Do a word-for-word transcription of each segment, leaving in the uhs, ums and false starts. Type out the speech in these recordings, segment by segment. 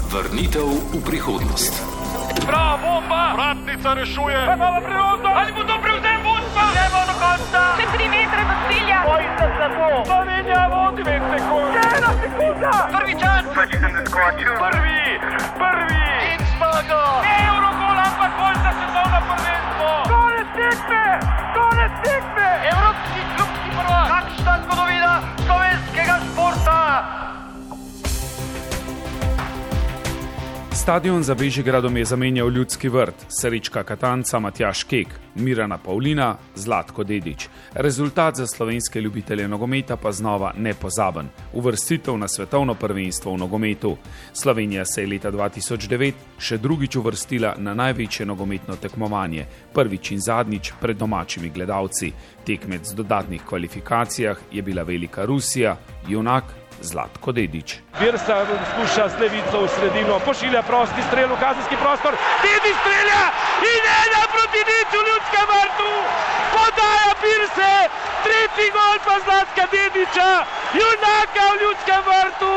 Vrnitev v prihodnost. Bravo, bomba! Vratnica rešuje! Imamo priložnost! Ali bo to prevzem vodstva? Gremo do konca! Še tri metre do cilja! Bojite se to! Slovenija vodi dve sekund! Ena sekunda! Prvi čas! Prvi! Prvi! In zmaga! Eurogol, ampak bolj za svetovno prvenstvo! Konec tekme! Konec tekme! Evropski klubski prvak! Kakšna zgodovina slovenskega športa! Stadion za Bežigradom je zamenjal Ljudski vrt, Srečka Katanca, Matjaž Kek, Mirana Pavlina, Zlatko Dedić. Rezultat za slovenske ljubitelje nogometa pa znova nepozaben. Uvrstitev na svetovno prvenstvo v nogometu. Slovenija se je leta dva tisoč devet še drugič uvrstila na največje nogometno tekmovanje, prvič in zadnjič pred domačimi gledalci. Tekmec v dodatnih kvalifikacijah je bila velika Rusija, junak Zlatko Dedić. Virsa skuša z levico v sredino, pošilja prosti strel v kazenski prostor, Dedić strelja in ena proti nič v Ljudskem vrtu, podaja Virse, tretji gol pa Zlatka Dedića, junaka v Ljudskem vrtu.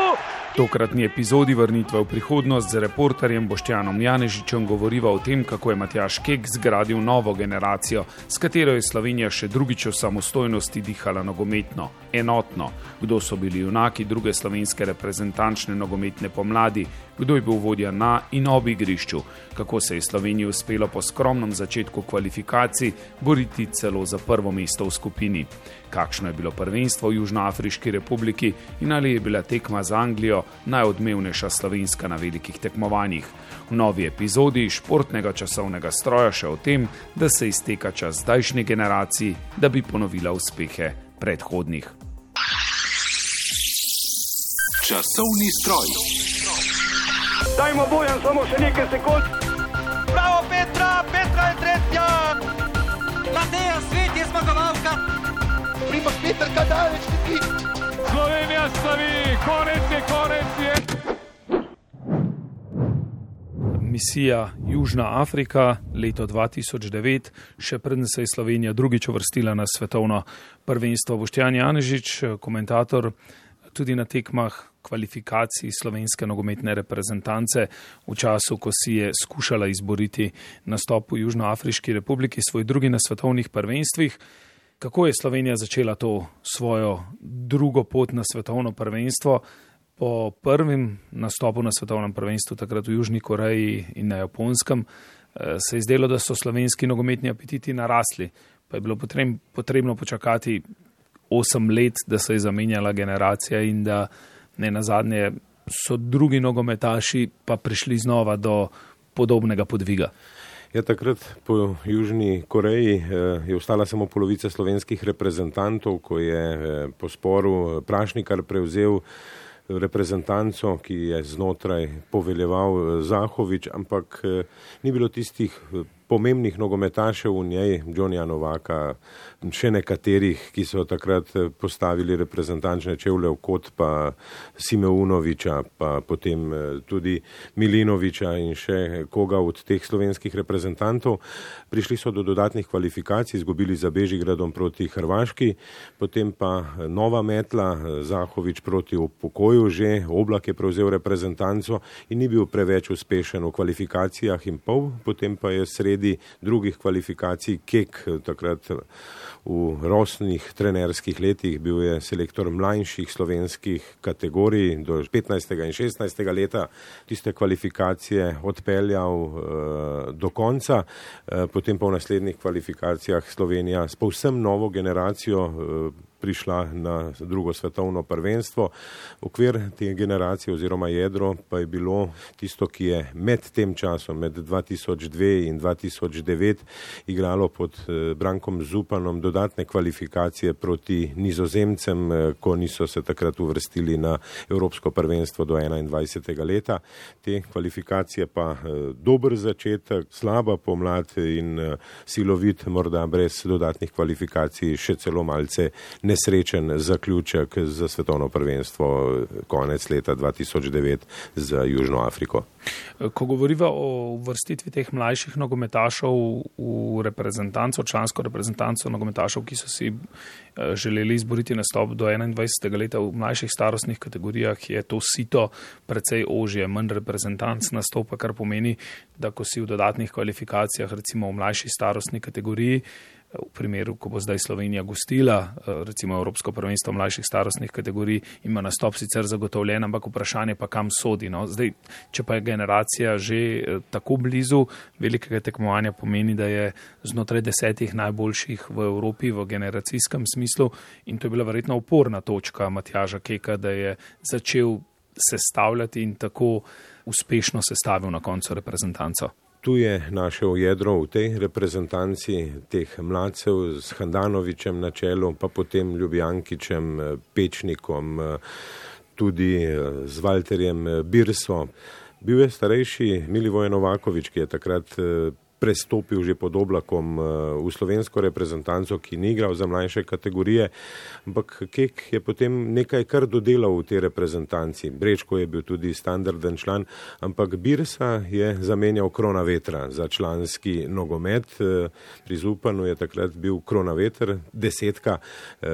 Tokratni epizodi Vrnitve v prihodnost z reporterjem Boštjanom Janežičem govoriva o tem, kako je Matjaž Kek zgradil novo generacijo, s katero je Slovenija še drugič v samostojnosti dihala nogometno, enotno, kdo so bili junaki druge slovenske reprezentančne nogometne pomladi, kdo je bil vodja na in ob igrišču, kako se je Sloveniji uspelo po skromnem začetku kvalifikacij boriti celo za prvo mesto v skupini. Kakšno je bilo prvenstvo v Južnoafriški republiki in ali je bila tekma z Anglijo najodmevnejša slovenska na velikih tekmovanjih. V novi epizodi športnega časovnega stroja še o tem, da se izteka čas zdajšnji generaciji, da bi ponovila uspehe predhodnih. Časovni stroj. Dajmo Bojan samo še nekaj sekund. Bravo Petra, Petra je tretja! Mateja Svet je zmagovalka! Primož Peter Kadalec neki. Slovenija slavi, konec je, konec je. Misija Južna Afrika, leto dva tisoč devet, še preden se je Slovenija drugič uvrstila na svetovno prvenstvo. Boštjan Janežič, komentator tudi na tekmah kvalifikacij slovenske nogometne reprezentance v času, ko si je skušala izboriti nastop v Južnoafriški republiki, svoj drugi na svetovnih prvenstvih. Kako je Slovenija začela to svojo drugo pot na svetovno prvenstvo? Po prvem nastopu na svetovnem prvenstvu, takrat v Južni Koreji in na Japonskem, se je zdelo, da so slovenski nogometni apetiti narasli. Pa je bilo potrebno počakati osem let, da se je zamenjala generacija in da ne nazadnje so drugi nogometaši pa prišli znova do podobnega podviga. Ja, takrat po Južni Koreji je ostala samo polovica slovenskih reprezentantov, ko je po sporu Prašnikar prevzel reprezentanco, ki je znotraj poveljeval Zahovič, ampak ni bilo tistih pomembnih nogometašev v njej, Johnnyja Novaka, še nekaterih, ki so takrat postavili reprezentančne čevlje v kot, pa Simeunoviča, pa potem tudi Milinoviča in še koga od teh slovenskih reprezentantov. Prišli so do dodatnih kvalifikacij, izgubili za Bežigradom proti Hrvaški, potem pa nova metla, Zahovič proti upokoju že, Oblak je prevzel reprezentanco in ni bil preveč uspešen v kvalifikacijah in pol, potem pa je sredi drugih kvalifikacij Kek, takrat v rosnih trenerskih letih, bil je selektor mlajših slovenskih kategorij do petnajstega in šestnajstega leta, tiste kvalifikacije odpeljal uh, do konca, uh, potem pa v naslednjih kvalifikacijah Slovenija s povsem novo generacijo uh, prišla na drugo svetovno prvenstvo. Okvir te generacije oziroma jedro pa je bilo tisto, ki je med tem časom, med dva tisoč dve in dva tisoč devet, igralo pod Brankom Zupanom dodatne kvalifikacije proti Nizozemcem, ko niso se takrat uvrstili na Evropsko prvenstvo do enaindvajsetega leta. Te kvalifikacije pa dober začetek, slaba pomlad in silovit, morda brez dodatnih kvalifikacij še celo malce ne nesrečen zaključek za svetovno prvenstvo konec leta dva tisoč devet za Južno Afriko. Ko govoriva o uvrstitvi teh mlajših nogometašov v reprezentanco, člansko reprezentanco nogometašov, ki so si želeli izboriti nastop do enaindvajsetega leta v mlajših starostnih kategorijah, je to sito precej ožje, manj reprezentanc nastopa, kar pomeni, da ko si v dodatnih kvalifikacijah, recimo v mlajši starostni kategoriji, v primeru, ko bo zdaj Slovenija gostila, recimo Evropsko prvenstvo mlajših starostnih kategorij, ima nastop sicer zagotovljen, ampak vprašanje pa kam sodi. No? Zdaj, če pa je generacija že tako blizu velikega tekmovanja, pomeni, da je znotraj desetih najboljših v Evropi v generacijskem smislu, in to je bila verjetno oporna točka Matjaža Keka, da je začel sestavljati in tako uspešno sestavil na koncu reprezentanco. Tu je našel jedro v tej reprezentanci teh mladcev s Handanovičem na čelu, pa potem Ljubijankičem, Pečnikom, tudi z Valterjem Birso. Bil je starejši Milivoje Novakovič, ki je takrat prestopil že pod Oblakom v slovensko reprezentanco, ki ni igral za mlajše kategorije, ampak Kek je potem nekaj kar dodelal v tej reprezentanci. Brečko je bil tudi standarden član, ampak Birsa je zamenjal Kronavetra za članski nogomet. Pri Zupanu je takrat bil Kronaveter desetka,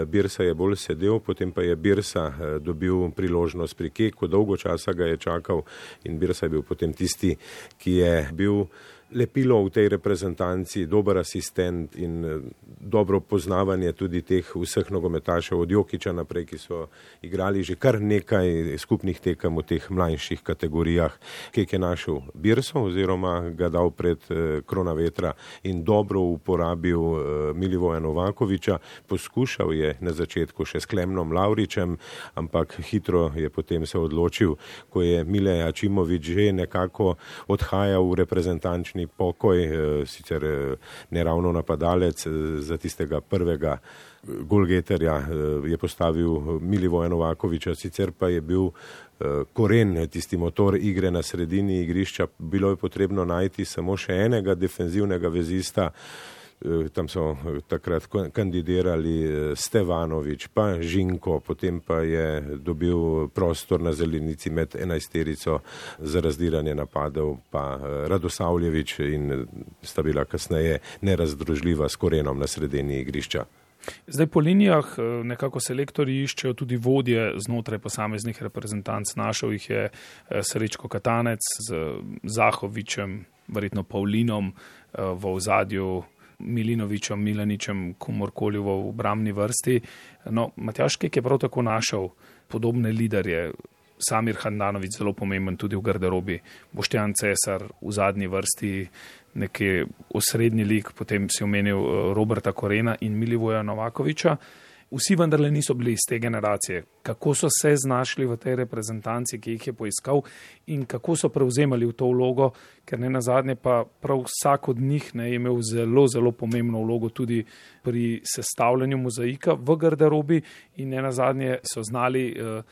Birsa je bolj sedel, potem pa je Birsa dobil priložnost pri Keku, dolgo časa ga je čakal in Birsa je bil potem tisti, ki je bil lepilo v tej reprezentanci, dober asistent in dobro poznavanje tudi teh vseh nogometašev od Jokića naprej, ki so igrali že kar nekaj skupnih tekem v teh mlajših kategorijah. Kek je našel Birso oziroma ga dal pred Kronavetra in dobro uporabil Milivoja Novakoviča. Poskušal je na začetku še s Klemnom Lavričem, ampak hitro je potem se odločil, ko je Mile Ačimović že nekako odhajal v reprezentančni pokoj, sicer ne ravno napadalec, za tistega prvega golgeterja je postavil Milivoja Novakoviča, sicer pa je bil koren, tisti motor igre na sredini igrišča. Bilo je potrebno najti samo še enega defenzivnega vezista. Tam so takrat kandidirali Stevanovič, pa Žinko, potem pa je dobil prostor na zelenici med enajsterico za razdiranje napadov, pa Radosavljevič, in sta bila kasneje nerazdružljiva s Korenom na sredini igrišča. Zdaj po linijah nekako selektorji iščejo tudi vodje znotraj posameznih reprezentanc. Našel jih je Srečko Katanec z Zahovičem, verjetno Pavlinom v ozadju, Milinovičem, Milaničem, komorkoli v obrambni vrsti. No, Matjaž Kek je prav tako našel podobne liderje. Samir Handanović, zelo pomemben tudi v garderobi, Boštjan Cesar v zadnji vrsti, neki osrednji lik, potem si omenil Roberta Korena in Milivoja Novakoviča. Vsi vendarle niso bili iz te generacije. Kako so se znašli v tej reprezentanci, ki jih je poiskal, in kako so prevzemali v to vlogo, ker ne nazadnje pa prav vsak od njih ne je imel zelo, zelo pomembno vlogo tudi pri sestavljanju mozaika v garderobi in ne nazadnje so znali uh,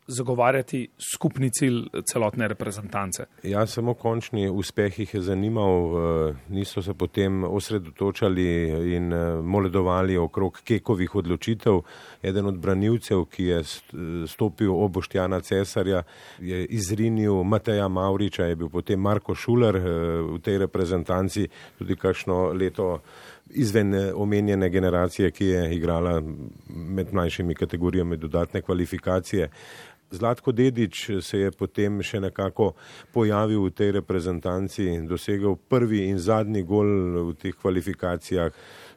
zagovarjati skupni cilj celotne reprezentance. Ja, samo končni uspeh jih je zanimal, niso se potem osredotočali in moledovali okrog Kekovih odločitev. Eden od branilcev, ki je stopil ob Boštjana Cesarja, je izrinil Mateja Mavriča, je bil potem Marko Šuler v tej reprezentanci, tudi kakšno leto izven omenjene generacije, ki je igrala med mlajšimi kategorijami dodatne kvalifikacije. Zlatko Dedić se je potem še nekako pojavil v tej reprezentanci in dosegel prvi in zadnji gol v teh kvalifikacijah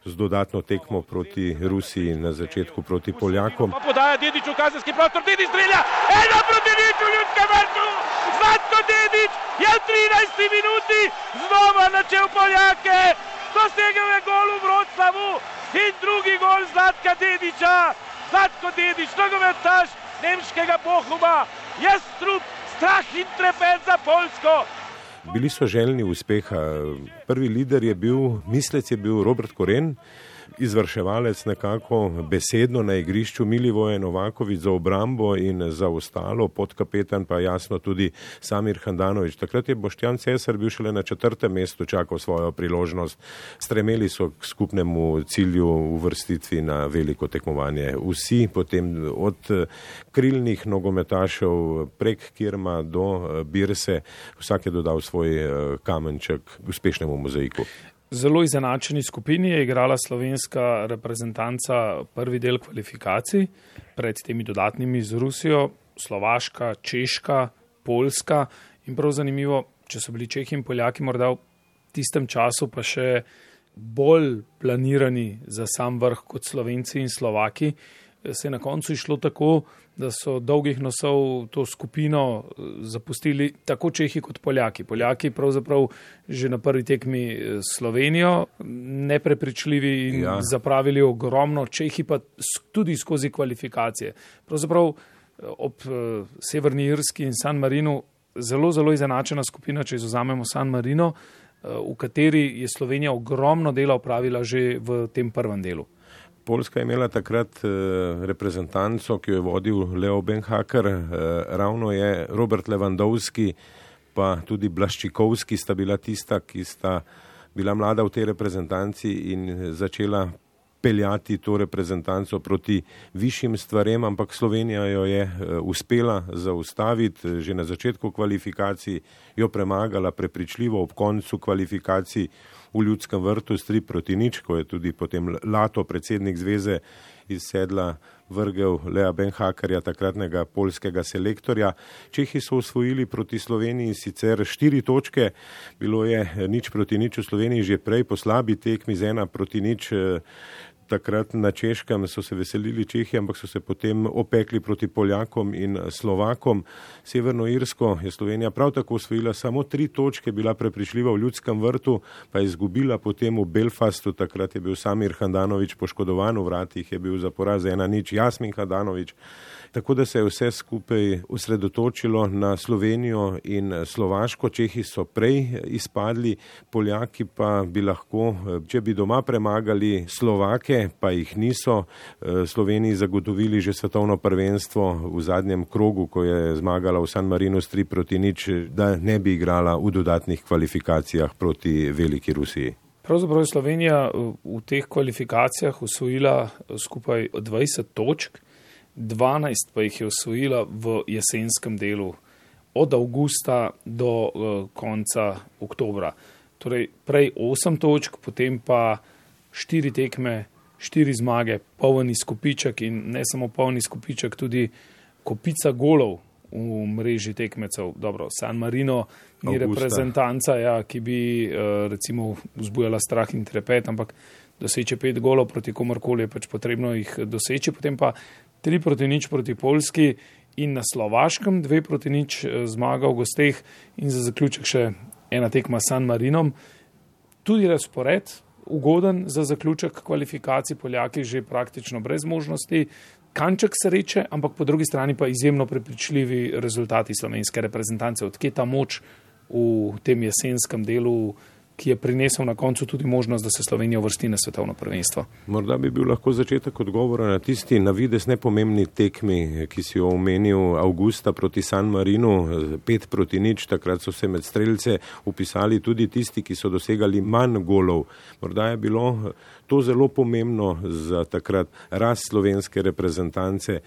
z dodatno tekmo proti Rusiji na začetku proti Poljakom. Pa podaja Dedić v kazenski prostor, Dedić strelja, ena proti nič v Ljudskem vrtu. Zlatko Dedić je v trinajsti minuti znova načel Poljake. Dosegel je gol v Vroclavu in drugi gol Zlatka Dedića. Zlatko Dedić, nogometaš nemškega Bochuma, Jastrub, strah in trepet za Poljsko. Bili so željni uspeha. Prvi lider je bil, mislec je bil Robert Koren, izvrševalec nekako besedno na igrišču, Milivoje Novaković za obrambo in za ostalo, podkapetan pa jasno tudi Samir Handanović. Takrat je Boštjan Cesar bil šele na četrtem mestu, čakal svojo priložnost. Stremeli so k skupnemu cilju uvrstitvi na veliko tekmovanje. Vsi potem od krilnih nogometašev prek Kirma do Birse, vsak je dodal svoj kamenček uspešnemu mozaiku. Zelo izenačeni skupini je igrala slovenska reprezentanca prvi del kvalifikacij, pred temi dodatnimi z Rusijo, Slovaška, Češka, Poljska in prav zanimivo, če so bili Čehi in Poljaki morda v tistem času pa še bolj planirani za sam vrh kot Slovenci in Slovaki, se je na koncu išlo tako, da so dolgih nosov to skupino zapustili tako Čehi kot Poljaki. Poljaki pravzaprav že na prvi tekmi Slovenijo, neprepričljivi in ja. zapravili ogromno, Čehi pa tudi skozi kvalifikacije. Pravzaprav ob Severni Irski in San Marinu zelo, zelo izenačena skupina, če izvzamemo San Marino, v kateri je Slovenija ogromno dela opravila že v tem prvem delu. Poljska je imela takrat reprezentanco, ki jo je vodil Leo Benhaker, ravno je Robert Lewandowski pa tudi Blaščikovski sta bila tista, ki sta bila mlada v tej reprezentanci in začela peljati to reprezentanco proti višjim stvarem, ampak Slovenija jo je uspela zaustaviti že na začetku kvalifikacij, jo premagala prepričljivo ob koncu kvalifikacij v Ljudskem vrtu s tri proti nič, ko je tudi potem Lato, predsednik zveze, iz sedla vrgel Lea Benhakerja, takratnega poljskega selektorja. Čehi so osvojili proti Sloveniji sicer štiri točke, bilo je nič proti nič v Sloveniji že prej, po slabi tekmi z ena proti nič. Takrat na Češkem so se veselili Čehi, ampak so se potem opekli proti Poljakom in Slovakom. Severno Irsko je Slovenija prav tako osvojila samo tri točke, bila prepričljiva v Ljudskem vrtu, pa je izgubila potem v Belfastu. Takrat je bil Samir Handanović poškodovan, v vratih je bil za poraz ena nič Jasmin Handanović. Tako da se je vse skupaj osredotočilo na Slovenijo in Slovaško. Čehi so prej izpadli, Poljaki pa bi lahko, če bi doma premagali Slovake, pa jih niso, Sloveniji zagotovili že svetovno prvenstvo v zadnjem krogu, ko je zmagala v San Marinu s tri proti nič, da ne bi igrala v dodatnih kvalifikacijah proti veliki Rusiji. Pravzaprav je Slovenija v teh kvalifikacijah osvojila skupaj dvajset točk, dvanajst pa jih je osvojila v jesenskem delu, od avgusta do uh, konca oktobra. Torej prej osem točk, potem pa štiri tekme, štiri zmage, polni izkupiček in ne samo polni izkupiček, tudi kopica golov v mreži tekmecev. Dobro, San Marino ni Augusta. Reprezentanca, ja, ki bi uh, recimo vzbujala strah in trepet, ampak doseče pet golov proti komorkoli je pač potrebno jih doseči, potem pa tri proti nič proti Poljski in na Slovaškem, dve proti nič zmaga v gosteh in za zaključek še ena tekma s San Marinom. Tudi razpored ugoden za zaključek kvalifikacij, Poljaki že praktično brez možnosti, kanček sreče, ampak po drugi strani pa izjemno prepričljivi rezultati slovenske reprezentance. Odkje ta moč v tem jesenskem delu, ki je prinesel na koncu tudi možnost, da se Slovenija uvrsti na svetovno prvenstvo. Morda bi bil lahko začetek odgovora na tisti navidez nepomembni tekmi, ki si jo omenil avgusta proti San Marinu, pet proti nič, takrat so se med strelce upisali tudi tisti, ki so dosegali manj golov. Morda je bilo to zelo pomembno za takrat rast slovenske reprezentance.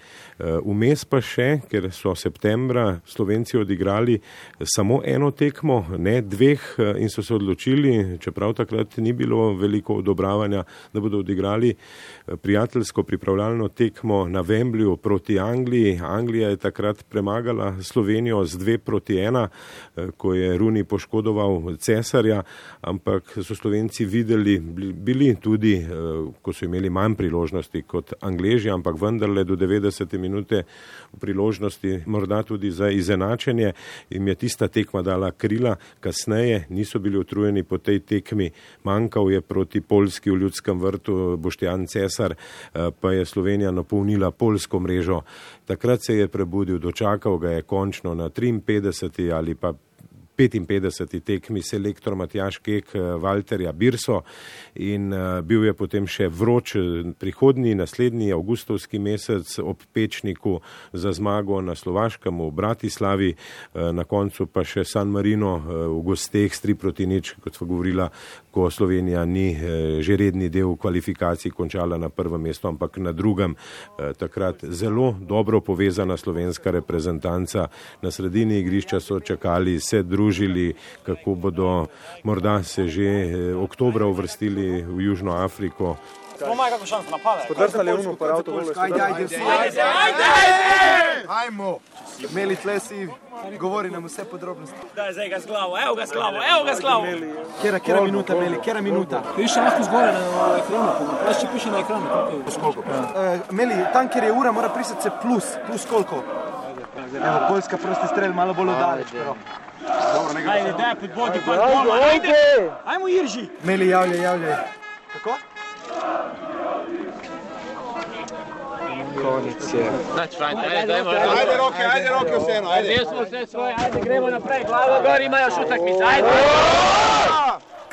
Vmes pa še, ker so septembra Slovenci odigrali samo eno tekmo, ne dveh, in so se odločili, čeprav takrat ni bilo veliko odobravanja, da bodo odigrali prijateljsko pripravljalno tekmo na Wembleyu proti Angliji. Anglija je takrat premagala Slovenijo z dve proti ena, ko je Rooney poškodoval Cesarja, ampak so Slovenci videli, bili tudi, ko so imeli manj priložnosti kot Angleži, ampak vendarle do devetdesete minute priložnosti, morda tudi za izenačenje, jim je tista tekma dala krila. Kasneje niso bili utrujeni po tej tekmi, manjkal je proti Poljski v Ljudskem vrtu Boštjan Cesar, pa je Slovenija napolnila poljsko mrežo. Takrat se je prebudil, dočakal ga je končno na triinpetdeseti ali pa petinpetdeseti tekmi selektor Matjaž Kek Valterja Birso in bil je potem še vroč prihodnji, naslednji avgustovski mesec ob Pečniku za zmago na Slovaškem v Bratislavi, na koncu pa še San Marino v gosteh s tri proti nič, kot smo govorila, ko Slovenija ni že redni del kvalifikacij končala na prvem mestu, ampak na drugem. Takrat zelo dobro povezana slovenska reprezentanca. Na sredini igrišča so čakali, se družili, kako bodo morda se že oktobra uvrstili v Južno Afriko. Pomaj kako šans napade. Podrsali unu par avtovolu. Ajde, ajde, ajde, ajde! Ajmo! Meli tle si, govori nam vse podrobnosti. Daj, zdaj ga s glavo, evo ga s glavo, evo ga s glavo. Kjera, kjera minuta, Meli, kjera minuta? Piše lahko zgore na ekranu, prav če piše na ekranu. Koliko? Meli, tam, kjer je ura, mora prisati se plus, plus koliko? Evo, Poljska prosti strel, malo bolj odaleč. Ajde, daj, podbodi, podbodi, ajde! Ajmo, Irži! Meli, javljaj, javljaj. Kako? Konec je. Znači, ajde, ajde, ajde, Ajde roke, ajde roke vseeno, ajde. Zdaj smo vse svoje, ajde, gremo naprej, glavo gor, imajo še utakmice, ajde!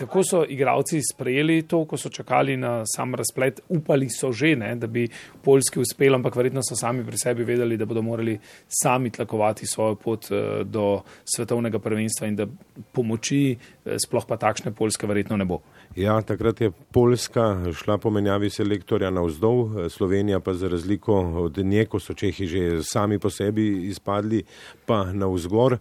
Kako so igralci sprejeli to, ko so čakali na sam razplet? Upali so že, ne, da bi Poljski uspel, ampak verjetno so sami pri sebi vedeli, da bodo morali sami tlakovati svojo pot do svetovnega prvenstva in da pomoči, sploh pa takšne Poljske verjetno ne bo. Ja, takrat je Poljska šla po menjavi selektorja navzdol, Slovenija pa za razliko od nje, ko so Čehi že sami po sebi izpadli, pa navzgor.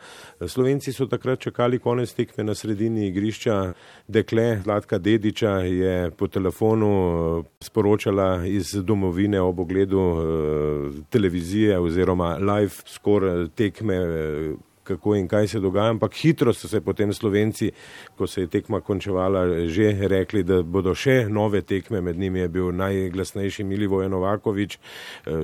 Slovenci so takrat čakali konec tekme na sredini igrišča. Dekle Zlatka Dediča je po telefonu sporočala iz domovine ob ogledu televizije oziroma live score tekme, kako in kaj se dogaja, ampak hitro so se potem Slovenci, ko se je tekma končevala, že rekli, da bodo še nove tekme, med njimi je bil najglasnejši Milivoje Novaković,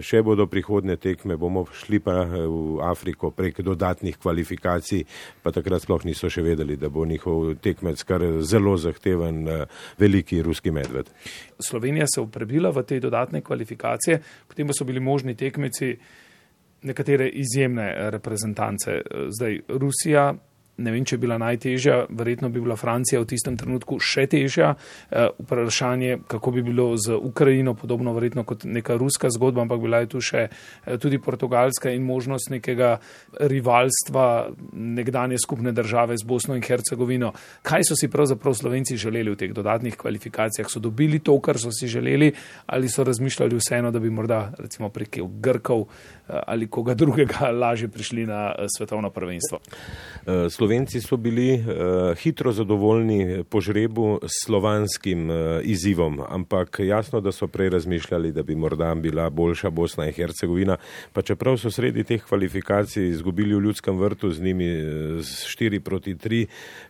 še bodo prihodne tekme, bomo šli pa v Afriko prek dodatnih kvalifikacij, pa takrat sploh niso še vedeli, da bo njihov tekmec kar zelo zahteven veliki ruski medved. Slovenija se je prebila v te dodatne kvalifikacije, potem pa so bili možni tekmeci nekatere izjemne reprezentance. Zdaj, Rusija, ne vem, če je bila najtežja, verjetno bi bila Francija v tistem trenutku še težja. Vprašanje, kako bi bilo z Ukrajino, podobno verjetno kot neka ruska zgodba, ampak bila je tu še tudi Portugalska in možnost nekega rivalstva nekdanje skupne države z Bosno in Hercegovino. Kaj so si pravzaprav Slovenci želeli v teh dodatnih kvalifikacijah? So dobili to, kar so si želeli, ali so razmišljali vseeno, da bi morda recimo prek Grkov ali koga drugega lažje prišli na svetovno prvenstvo? Slovenci so bili uh, hitro zadovoljni po žrebu s slovanskim uh, izzivom, ampak jasno, da so prej razmišljali, da bi morda bila boljša Bosna in Hercegovina, pa čeprav so sredi teh kvalifikacij izgubili v Ljudskem vrtu z njimi s štiri proti tri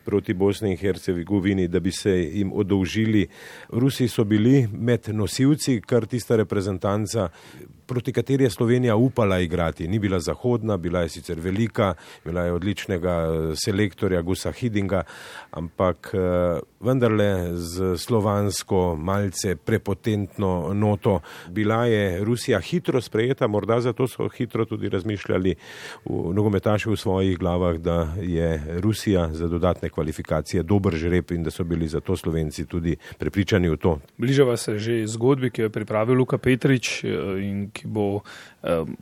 proti Bosni in Hercegovini, da bi se jim odolžili. Rusi so bili med nosilci, kar tista reprezentanca, proti kateri je Slovenija upala igrati. Ni bila zahodna, bila je sicer velika, bila je odličnega selektorja Gusa Hidinga, ampak vendarle z slovansko malce prepotentno noto. Bila je Rusija hitro sprejeta, morda zato so hitro tudi razmišljali v nogometaši v svojih glavah, da je Rusija za dodatne kvalifikacije dober žreb in da so bili zato Slovenci tudi prepričani v to. Bližava se že zgodbi, ki jo je pripravil Luka Petrič in ki bo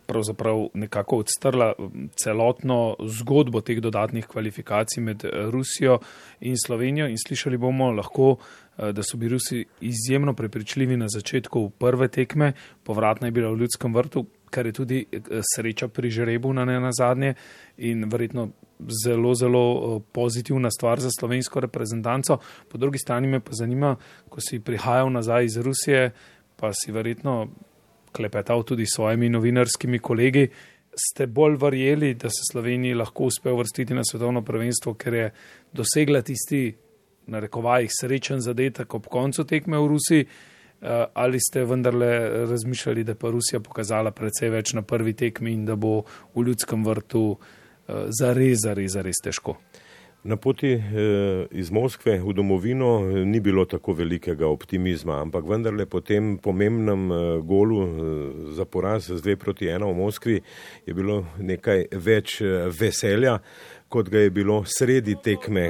pravzaprav nekako odstrla celotno zgodbo teh dodatnih kvalifikacij med Rusijo in Slovenijo in slišali bomo lahko, da so bili Rusi izjemno prepričljivi na začetku prve tekme, povratna je bila v Ljudskem vrtu, kar je tudi sreča pri žrebu na nenazadnje in verjetno zelo, zelo pozitivna stvar za slovensko reprezentanco. Po drugi strani me pa zanima, ko si prihajal nazaj iz Rusije, pa si verjetno klepetal tudi s svojimi novinarskimi kolegi, ste bolj verjeli, da se Sloveniji lahko uspe uvrstiti na svetovno prvenstvo, ker je dosegla tisti, na rekovajih, srečen zadetek ob koncu tekme v Rusiji, ali ste vendarle razmišljali, da pa Rusija pokazala precej več na prvi tekmi in da bo v Ljudskem vrtu zares, zares, zares težko? Na poti iz Moskve v domovino ni bilo tako velikega optimizma, ampak vendarle po tem pomembnem golu za poraz z dve proti ena v Moskvi je bilo nekaj več veselja. kot ga je bilo sredi tekme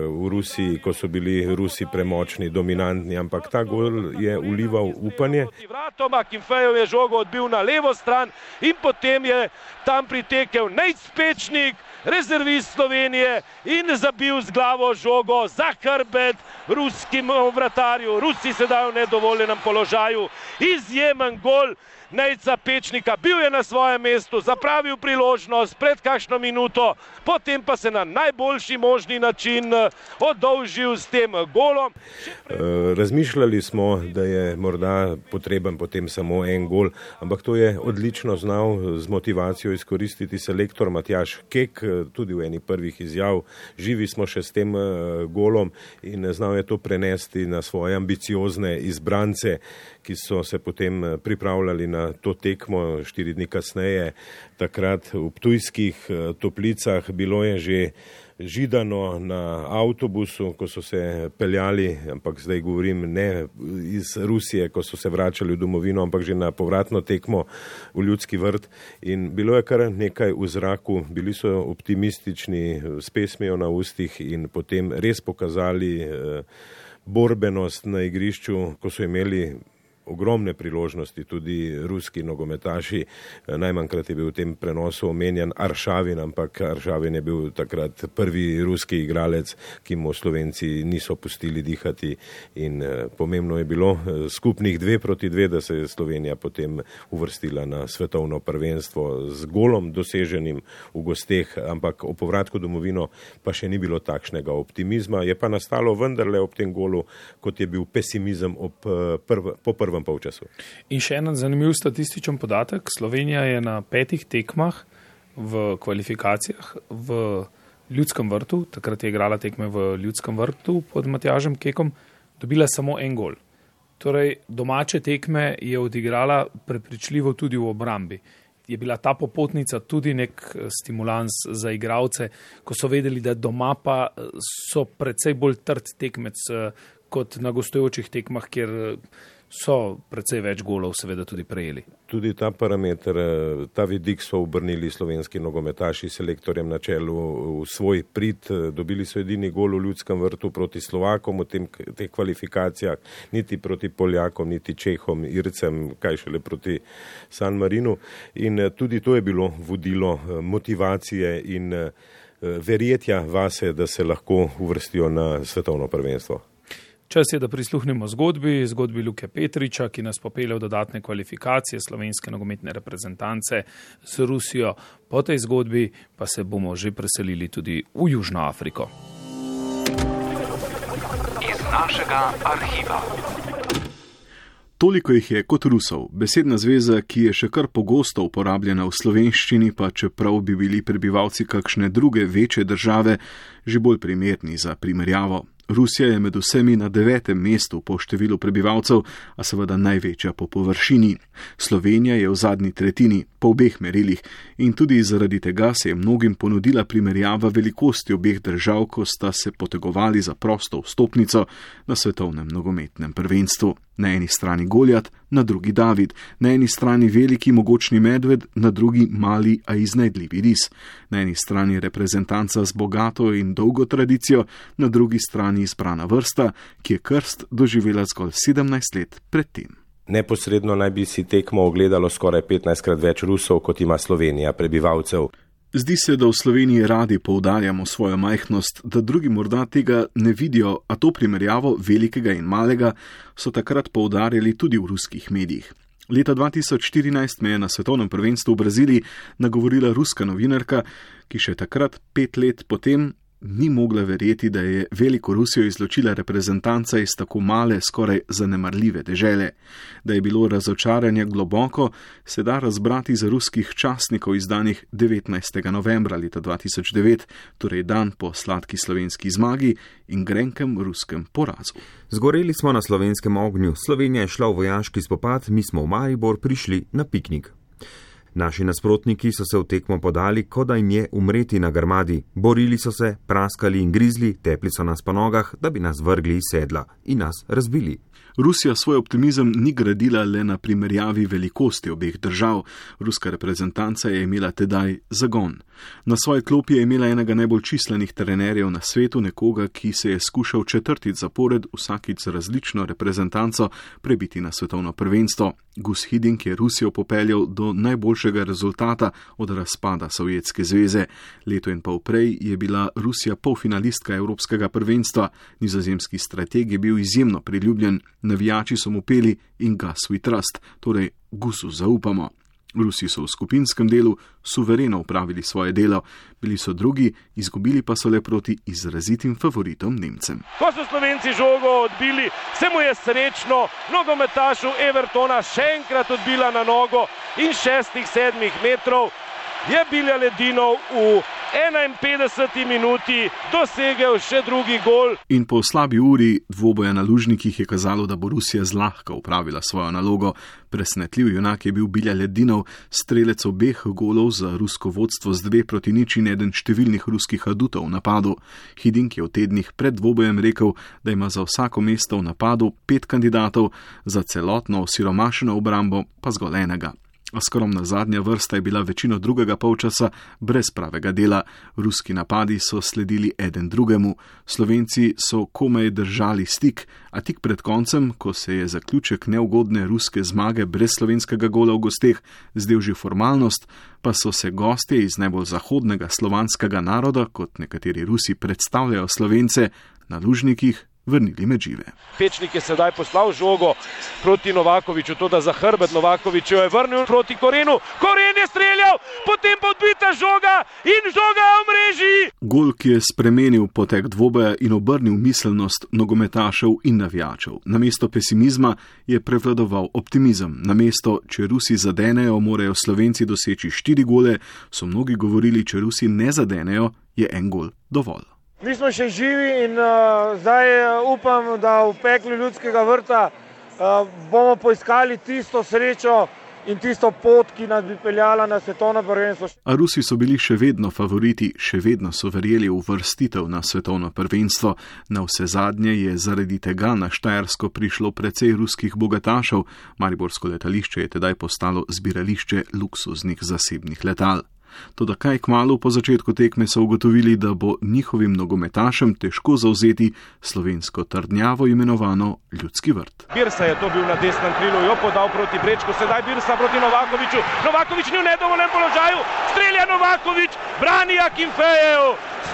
v Rusiji, ko so bili Rusi premočni, dominantni, ampak ta gol je ulival upanje. Vratoma Kimfejev je žogo odbil na levo stran in potem je tam pritekel Nejc-Pečnik, rezervist Slovenije, in zabil z glavo žogo za hrbet ruskim vratarju. Rusi sedaj v nedovoljenem položaju. Izjemen gol Nejca Pečnika, bil je na svojem mestu, zapravil priložnost pred kakšno minuto, potem pa se na najboljši možni način oddolžil s tem golom. Razmišljali smo, da je morda potreben potem samo en gol, ampak to je odlično znal z motivacijo izkoristiti selektor Matjaž Kek, tudi v eni prvih izjav. Živi smo še s tem golom in znal je to prenesti na svoje ambiciozne izbrance, ki so se potem pripravljali na to tekmo štiri dni kasneje. Takrat v Ptujskih Toplicah bilo je že židano na avtobusu, ko so se peljali, ampak zdaj govorim ne iz Rusije, ko so se vračali v domovino, ampak že na povratno tekmo v Ljudski vrt. In bilo je kar nekaj v zraku, bili so optimistični, s pesmijo na ustih in potem res pokazali borbenost na igrišču, ko so imeli ogromne priložnosti, tudi ruski nogometaši. Najmanjkrat je bil v tem prenosu omenjen Aršavin, ampak Aršavin je bil takrat prvi ruski igralec, ki mu Slovenci niso pustili dihati, in pomembno je bilo skupnih dve proti dve, da se je Slovenija potem uvrstila na svetovno prvenstvo z golom doseženim v gosteh, ampak o povratku domovino pa še ni bilo takšnega optimizma. Je pa nastalo vendarle ob tem golu, kot je bil pesimizem ob prv, po prvem polčasu. In še en zanimiv statističen podatek. Slovenija je na petih tekmah v kvalifikacijah v Ljudskem vrtu, takrat je igrala tekme v Ljudskem vrtu pod Matjažem Kekom, dobila samo en gol. Torej, domače tekme je odigrala prepričljivo tudi v obrambi. Je bila ta popotnica tudi nek stimulans za igralce, ko so vedeli, da doma pa so precej bolj trd tekmec kot na gostujočih tekmah, kjer so precej več golov seveda tudi prejeli. Tudi ta parameter, ta vidik so obrnili slovenski nogometaši s selektorjem na čelu v svoj prid. Dobili so edini gol v Ljudskem vrtu proti Slovakom v tem, teh kvalifikacijah, niti proti Poljakom, niti Čehom, Ircem, kaj šele proti San Marinu. In tudi to je bilo vodilo motivacije in verjetja vase, da se lahko uvrstijo na svetovno prvenstvo. Čas je, da prisluhnemo zgodbi, zgodbi Luke Petriča, ki nas popelje v dodatne kvalifikacije slovenske nogometne reprezentance z Rusijo. Po tej zgodbi pa se bomo že preselili tudi v Južno Afriko. Iz našega arhiva. Toliko jih je kot Rusov, besedna zveza, ki je še kar pogosto uporabljena v slovenščini, pa čeprav bi bili prebivalci kakšne druge večje države že bolj primerni za primerjavo. Rusija je med vsemi na devetem mestu po številu prebivalcev, a seveda največja po površini. Slovenija je v zadnji tretjini, po obeh merilih, in tudi zaradi tega se je mnogim ponudila primerjava velikosti obeh držav, ko sta se potegovali za prosto vstopnico na svetovnem nogometnem prvenstvu. Na eni strani Goljat, na drugi David, na eni strani veliki mogočni medved, na drugi mali, a iznajdljivi ris. Na eni strani reprezentanca z bogato in dolgo tradicijo, na drugi strani izbrana vrsta, ki je krst doživela zgolj sedemnajst let predtem. Neposredno naj bi si tekmo ogledalo skoraj petnajstkrat več Rusov, kot ima Slovenija prebivalcev. Zdi se, da v Sloveniji radi poudarjamo svojo majhnost, da drugi morda tega ne vidijo, a to primerjavo velikega in malega so takrat poudarjali tudi v ruskih medijih. Leta dva tisoč štirinajst me je na svetovnem prvenstvu v Braziliji nagovorila ruska novinarka, ki še takrat, pet let potem, ni mogla verjeti, da je veliko Rusijo izločila reprezentanca iz tako male, skoraj zanemarljive dežele. Da je bilo razočaranje globoko, se da razbrati za ruskih časnikov izdanih devetnajstega novembra leta dva tisoč devet, torej dan po sladki slovenski zmagi in grenkem ruskem porazu. Zgoreli smo na slovenskem ognju, Slovenija je šla v vojaški spopad, mi smo v Maribor prišli na piknik. Naši nasprotniki so se v tekmo podali, kot da jim je umreti na grmadi. Borili so se, praskali in grizli, tepli so nas po nogah, da bi nas vrgli iz sedla in nas razbili. Rusija svoj optimizem ni gradila le na primerjavi velikosti obeh držav. Ruska reprezentanca je imela tedaj zagon. Na svoji klopi je imela enega najbolj čislenih trenerjev na svetu, nekoga, ki se je skušal četrtič zapored vsakič z različno reprezentanco prebiti na svetovno prvenstvo. Gus Hiddink je Rusijo popeljal do najboljšega rezultata od razpada Sovjetske zveze. Leto in pol prej je bila Rusija polfinalistka Evropskega prvenstva. Nizozemski strateg je bil izjemno priljubljen. Navijači so mu peli In Gus we trust, torej Gusu zaupamo. Rusi so v skupinskem delu suvereno upravili svoje delo, bili so drugi, izgubili pa so le proti izrazitim favoritom Nemcem. Ko so Slovenci žogo odbili, se mu je srečno nogometašu Evertona še enkrat odbila na nogo in šestih, sedmih metrov je Bilja Ledinov v enainpetdeseti minuti dosegel še drugi gol. In po slabi uri dvoboja na lužnikih je kazalo, da bo Rusija zlahka upravila svojo nalogo. Presenetljiv junak je bil Bilja Ledinov, strelec obeh golov za rusko vodstvo z dve proti nič in eden številnih ruskih adutov v napadu. Hiddink je v tednih pred dvobojem rekel, da ima za vsako mesto v napadu pet kandidatov, za celotno osiromašeno obrambo pa zgolj enega. A skromna zadnja vrsta je bila večino drugega polčasa brez pravega dela. Ruski napadi so sledili eden drugemu. Slovenci so komaj držali stik, a tik pred koncem, ko se je zaključek neugodne ruske zmage brez slovenskega gola v gosteh zdel že formalnost, pa so se gostje iz najbolj zahodnega slovanskega naroda, kot nekateri Rusi predstavljajo Slovence, na lužnikih vrnili med žive. Pečnik je sedaj poslal žogo proti Novakoviču, to da za hrbet Novakoviču je vrnil proti Korenu. Koren je streljal, potem pa odbita žoga in žoga v mreži. Gol, ki je spremenil potek dvoboja in obrnil miselnost nogometašev in navijačev. Namesto pesimizma je prevladoval optimizem. Namesto, če Rusi zadenejo, morajo Slovenci doseči štiri gole, so mnogi govorili, če Rusi ne zadenejo, je en gol dovolj. Mi smo še živi in uh, zdaj upam, da v peklu Ljudskega vrta uh, bomo poiskali tisto srečo in tisto pot, ki nas bi peljala na svetovno prvenstvo. A Rusi so bili še vedno favoriti, še vedno so verjeli v uvrstitev na svetovno prvenstvo. Na vse zadnje je zaradi tega na Štajersko prišlo precej ruskih bogatašev. Mariborsko letališče je tedaj postalo zbirališče luksuznih zasebnih letal. Toda kaj kmalu po začetku tekme so ugotovili, da bo njihovim nogometašem težko zavzeti slovensko trdnjavo imenovano Ljudski vrt. Birsa je to bil na desnem krilu, jo podal proti Brečku, sedaj Birsa proti Novakoviču. Novakovič ni v nedovoljenem položaju, strelja Novakovič, brani Akinfejev.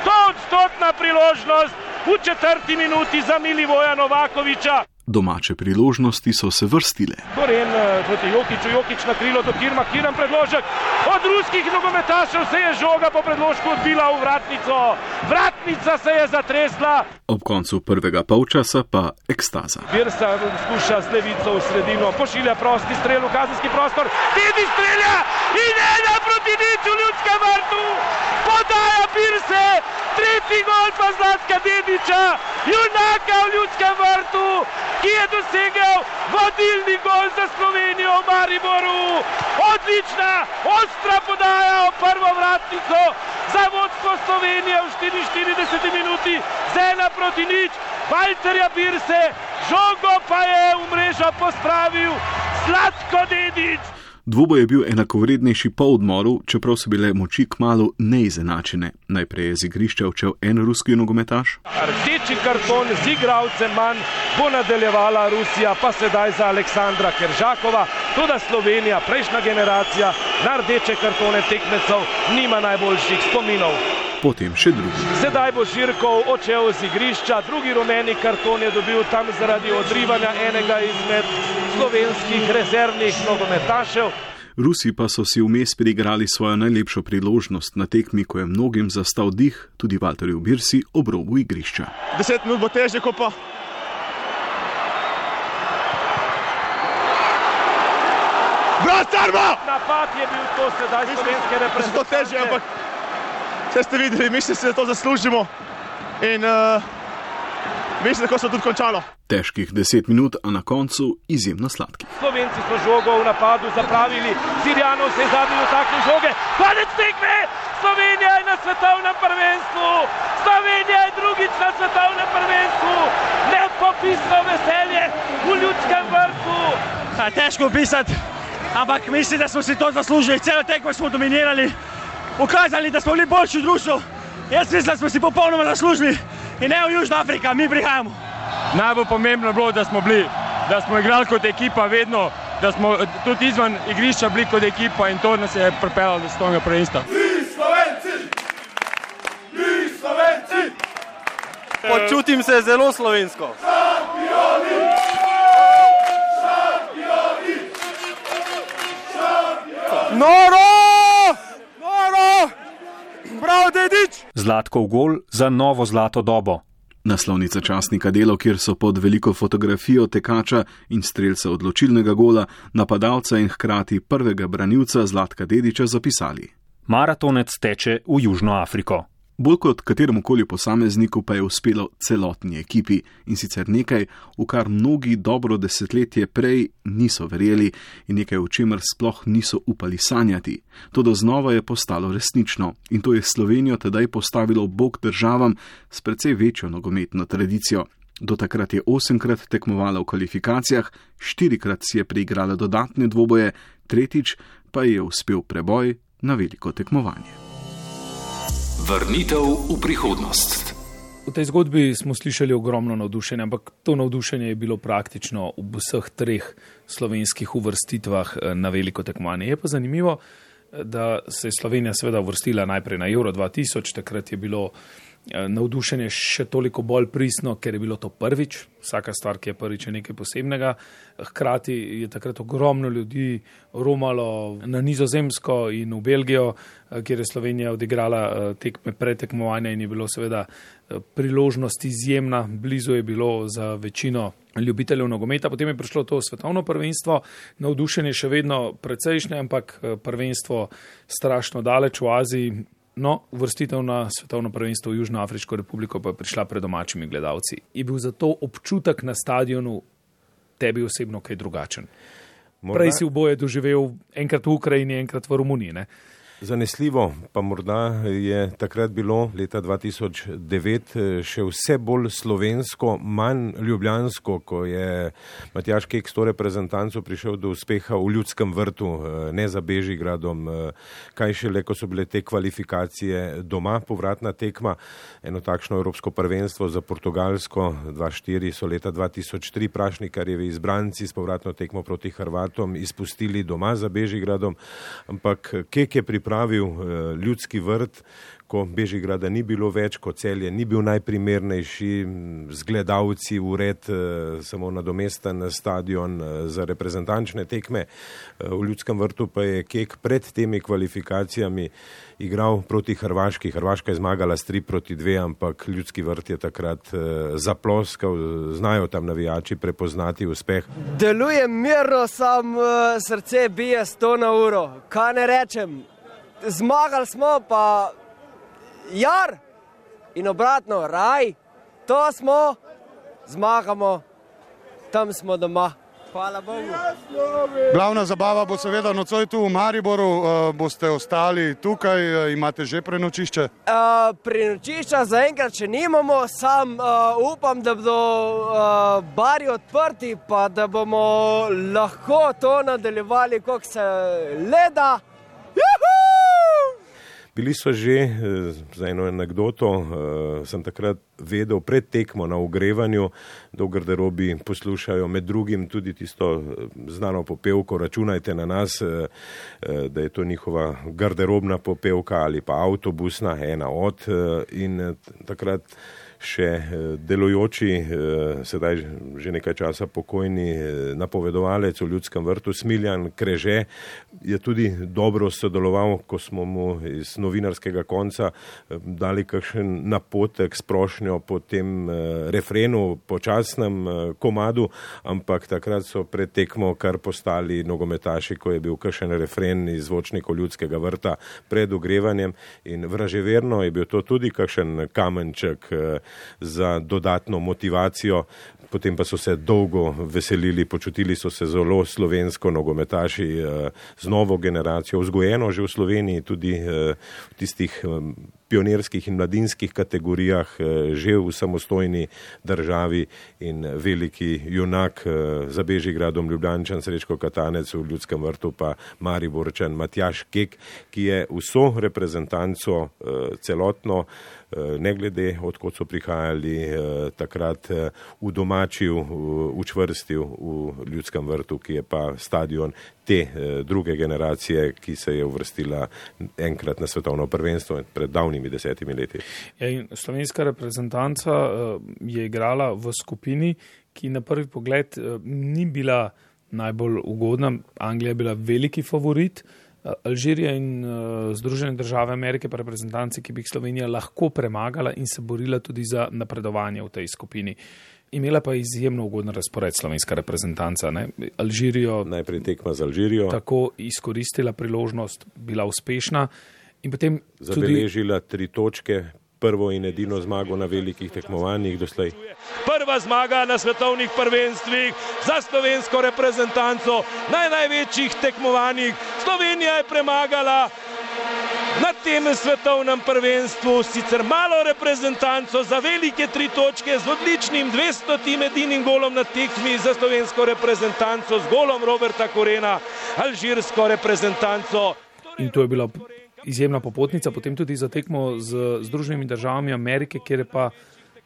Stoodstotna priložnost v četrti minuti za Milivoja Novakoviča. Domače priložnosti so se vrstile. Koren proti Jokiću, Jokić na krilo do Kirma, Kiran predložek. Od ruskih nogometašev se je žoga po predložku odbila v vratnico. Vratnica se je zatresla. Ob koncu prvega polčasa pa ekstaza. Birsa skuša z levico v sredino, pošilja prosti strel v kazenski prostor. Dedi strelja in ena proti nič v Ljudskem vrtu. Podaja Birse, tretji gol pa Zlatka Dedića, junaka v Ljudskem vrtu, ki je dosegel vodilni gol za Slovenijo v Mariboru. Odlična, ostra podaja v prvo vratnico za vodstvo Slovenije v štiriinštirideseti minuti z ena proti nič. Valterja Birse, žogo pa je v mrežo pospravil Zlatko Dedić. Dvoboj je bil enakovrednejši po odmoru, čeprav so bile moči kmalu neizenačene. Najprej je z igrišča odšel en ruski nogometaš. Rdeči karton z igralcem manj bo nadaljevala Rusija, pa sedaj za Aleksandra Keržakova. Toda Slovenija, prejšnja generacija, na rdeče kartone tekmecev nima najboljših spominov. Potem še drugi. Sedaj bo Žirkov odšel z igrišča, drugi rumeni karton je dobil tam zaradi odrivanja enega izmed slovenskih rezervnih nogometašev. Rusi pa so si vmes priigrali svojo najlepšo priložnost na tekmi, ko je mnogim zastal dih, tudi Valterju Birsi, ob robu igrišča. Deset minut bo težje, ko pa... Vratarmo! Napad je bil to sedaj slovenske reprezentance. To težje, ampak vse ste videli, mislim, da to zaslužimo in uh, mislim, da se tudi končalo. Težkih deset minut, a na koncu izjemno sladki. Slovenci so žogo v napadu zapravili, Sirjanov se je zadnji dotaknil žoge, konec tekme! Slovenija je na svetovnem prvenstvu! Slovenija je drugič na svetovnem prvenstvu! Nepopisno veselje v Ljudskem vrtu. A, težko opisati, ampak mislim, da smo si to zaslužili. Celo tekmo smo dominirali, ukazali, da smo bili boljši v društvu. Jaz mislim, da smo si popolnoma zaslužili in ne v Južna Afrika, mi prihajamo. Najbolj pomembno je bilo, da smo bili, da smo igrali kot ekipa vedno, da smo tudi izvan igrišča bili kot ekipa in to nas je pripeljalo do svetovnega prvenstva. Mi Slovenci! Mi Slovenci! Počutim se zelo slovensko. Šampioni! Šampioni! Šampioni! Noro! Noro! Prav, dedič! Zlatkov gol za novo zlato dobo. Naslovnica časnika Delo, kjer so pod veliko fotografijo tekača in strelca odločilnega gola, napadalca in hkrati prvega branilca Zlatka Dedića zapisali: Maratonec teče v Južno Afriko. Bolj kot kateremukoli posamezniku pa je uspelo celotni ekipi in sicer nekaj, v kar mnogi dobro desetletje prej niso verjeli in nekaj, v čemer sploh niso upali sanjati. Toda znova je postalo resnično in to je Slovenijo tedaj postavilo bok državam s precej večjo nogometno tradicijo. Do takrat je osemkrat tekmovala v kvalifikacijah, štirikrat si je preigrala dodatne dvoboje, tretjič pa je uspel preboj na veliko tekmovanje. Vrnitev v prihodnost. V tej zgodbi smo slišali ogromno navdušenja, ampak to navdušenje je bilo praktično v vseh treh slovenskih uvrstitvah na veliko tekmovanje. Je pa zanimivo, da se je Slovenija seveda uvrstila najprej na Euro dva tisoč, takrat je bilo navdušenje še toliko bolj pristno, ker je bilo to prvič. Vsaka stvar, ki je prvič, je nekaj posebnega. Hkrati je takrat ogromno ljudi romalo na Nizozemsko in v Belgijo, kjer je Slovenija odigrala tekme pretekmovanja in je bilo seveda priložnost izjemna. Blizu je bilo za večino ljubiteljev nogometa. Potem je prišlo to svetovno prvenstvo. Navdušenje še vedno precejšnje, ampak prvenstvo strašno daleč v Aziji. No, uvrstitev na svetovno prvenstvo v Južnoafriško republiko pa je prišla pred domačimi gledalci. Je bil zato občutek na stadionu tebi osebno kaj drugačen? Morda... Prej si v boje doživel enkrat v Ukrajini, enkrat v Romuniji, ne? Zanesljivo, pa morda je takrat bilo leta dva tisoč devet še vse bolj slovensko, manj ljubljansko, ko je Matjaž Kek s to reprezentanco prišel do uspeha v Ljudskem vrtu, ne za Bežigradom, kaj šele, ko so bile te kvalifikacije doma, povratna tekma, eno takšno evropsko prvenstvo za Portugalsko, dva štiri so leta dva tisoč tri Prašnikarjevi izbranci s povratno tekmo proti Hrvatom izpustili doma za Bežigradom, ampak Kek je pripravil pravil Ljudski vrt, ko Bežigrada ni bilo več, ko Celje ni bil najprimernejši, z gledalci ured, samo nadomesten stadion za reprezentančne tekme. V Ljudskem vrtu pa je Kek pred temi kvalifikacijami igral proti Hrvaški. Hrvaška je zmagala s tri proti dve, ampak Ljudski vrt je takrat zaploskal, znajo tam navijači prepoznati uspeh. Deluje mirno, sam srce bije sto na uro. Kaj ne rečem? Zmagali smo, pa jar in obratno, raj, to smo, zmagamo, tam smo doma. Hvala Bogu. Glavna zabava bo seveda nocoj tu v Mariboru, boste ostali tukaj, imate že prenočišče? Uh, prenočišča zaenkrat še nimamo, sam uh, upam, da bodo uh, bari odprti, pa da bomo lahko to nadaljevali, koliko se leda. Juhu! Bili so že, za eno anekdoto, sem takrat vedel pred tekmo na ogrevanju, da v garderobi poslušajo med drugim tudi tisto znano popevko Računajte na nas, da je to njihova garderobna popevka ali pa avtobusna, ena od, in takrat še delujoči, sedaj že nekaj časa pokojni napovedovalec v Ljudskem vrtu Smiljan Kreže je tudi dobro sodeloval, ko smo mu iz novinarskega konca dali kakšen napotek s prošnjo po tem refrenu, počasnem komadu, ampak takrat so pred tekmo kar postali nogometaši, ko je bil kakšen refren iz zvočnikov Ljudskega vrta pred ogrevanjem in vraževerno je bil to tudi kakšen kamenček za dodatno motivacijo. Potem pa so se dolgo veselili, počutili so se zelo slovensko, nogometaši z novo generacijo, vzgojeno že v Sloveniji, tudi v tistih pionirskih in mladinskih kategorijah, že v samostojni državi, in veliki junak za Bežigradom Ljubljančan Srečko Katanec, v Ljudskem vrtu pa Mariborčan Matjaž Kek, ki je vso reprezentanco celotno, ne glede odkot so prihajali, takrat udomačil, učvrstil v Ljudskem vrtu, ki je pa stadion te druge generacije, ki se je uvrstila enkrat na svetovno prvenstvo pred davnimi desetimi leti. Ja, in slovenska reprezentanca je igrala v skupini, ki na prvi pogled ni bila najbolj ugodna. Anglija je bila veliki favorit, Alžirija in uh, Združene države Amerike pa reprezentanci, ki bi jih Slovenija lahko premagala in se borila tudi za napredovanje v tej skupini. Imela pa izjemno ugoden razpored slovenska reprezentanca. Ne? Alžirijo najprej tekma z Alžirijo, tako izkoristila priložnost, bila uspešna in potem zabeležila tudi tri točke, prvo in edino zmago na velikih tekmovanjih doslej. Prva zmaga na svetovnih prvenstvih za slovensko reprezentanco na največjih tekmovanjih. Slovenija je premagala na tem svetovnem prvenstvu sicer malo reprezentanco za velike tri točke z odličnim dvestotim edinim golom na tekmi za slovensko reprezentanco, z golom Roberta Korena, alžirsko reprezentanco. In to je bila izjemna popotnica, potem tudi za tekmo z Združenimi državami Amerike, kjer pa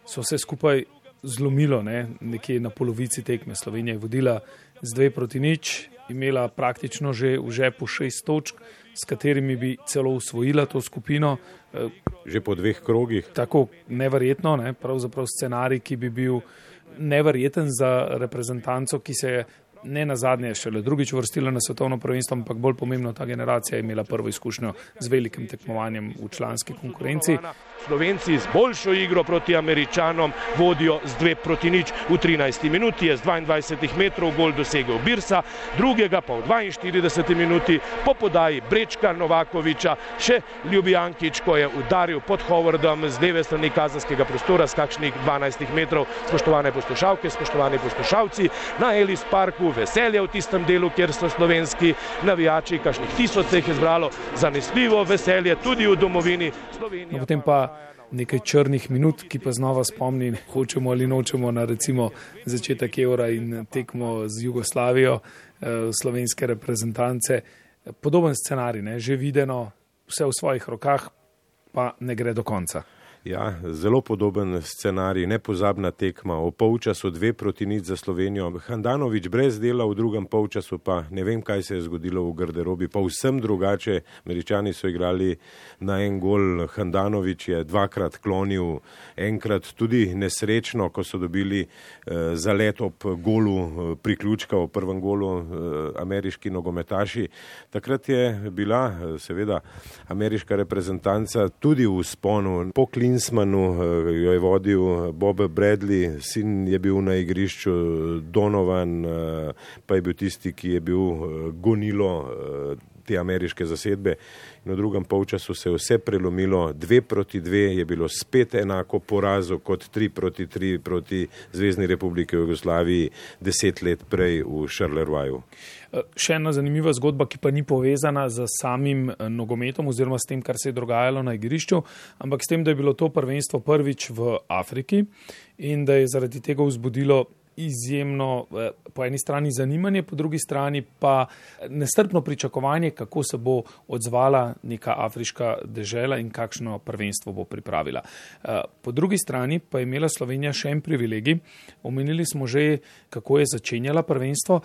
so se skupaj zlomilo, ne, nekje na polovici tekme. Slovenija je vodila z dve proti nič, imela praktično že v žepu šest točk, s katerimi bi celo usvojila to skupino. Že po dveh krogih. Tako neverjetno, ne, pravzaprav scenarij, ki bi bil neverjeten za reprezentanco, ki se je ne nazadnje šele drugič uvrstila na svetovno prvenstvo, ampak bolj pomembno, ta generacija je imela prvo izkušnjo z velikim tekmovanjem v članski konkurenci. Slovenci z boljšo igro proti Američanom vodijo z dve proti nič. V trinajsti minuti je z dvaindvajsetih metrov gol dosegel Birsa, drugega pa v dvainštirideseti minuti po podaji Brečka Novakoviča še Ljubijankič, ko je udaril pod Howardom z leve strani kazenskega prostora z kakšnih dvanajstih metrov. Spoštovane poslušalke, spoštovani poslušalci, na Ellis Parku veselje v tistem delu, kjer so slovenski navijači, kakšnih tisoč se jih je zbralo, zanesljivo veselje tudi v domovini Slovenije. No, potem pa nekaj črnih minut, ki pa znova spomni, hočemo ali nočemo, na recimo začetek Eura in tekmo z Jugoslavijo, eh, slovenske reprezentance. Podoben scenarij, ne, že videno, vse v svojih rokah, pa ne gre do konca. Ja, zelo podoben scenarij, nepozabna tekma, o polčasu dve proti nič za Slovenijo. Handanović brez dela, v drugem polčasu pa ne vem, kaj se je zgodilo v garderobi, pa vsem drugače. Američani so igrali na en gol, Handanović je dvakrat klonil, enkrat tudi nesrečno, ko so dobili eh, zalet ob golu eh, priključka, v prvem golu eh, ameriški nogometaši. Takrat je bila eh, seveda ameriška reprezentanca tudi v sponu. Po Klinsmanu jo je vodil Bob Bradley, sin je bil na igrišču, Donovan pa je bil tisti, ki je bil gonilo te ameriške zasedbe. In v drugem polčasu se je vse prelomilo, dve proti dve je bilo spet enako porazu kot tri proti tri proti Zvezni republike Jugoslaviji deset let prej v Charleroi. Še ena zanimiva zgodba, ki pa ni povezana z samim nogometom oziroma s tem, kar se je dogajalo na igrišču, ampak s tem, da je bilo to prvenstvo prvič v Afriki in da je zaradi tega vzbudilo izjemno po eni strani zanimanje, po drugi strani pa nestrpno pričakovanje, kako se bo odzvala neka afriška dežela in kakšno prvenstvo bo pripravila. Po drugi strani pa je imela Slovenija še en privilegij. Omenili smo že, kako je začenjala prvenstvo,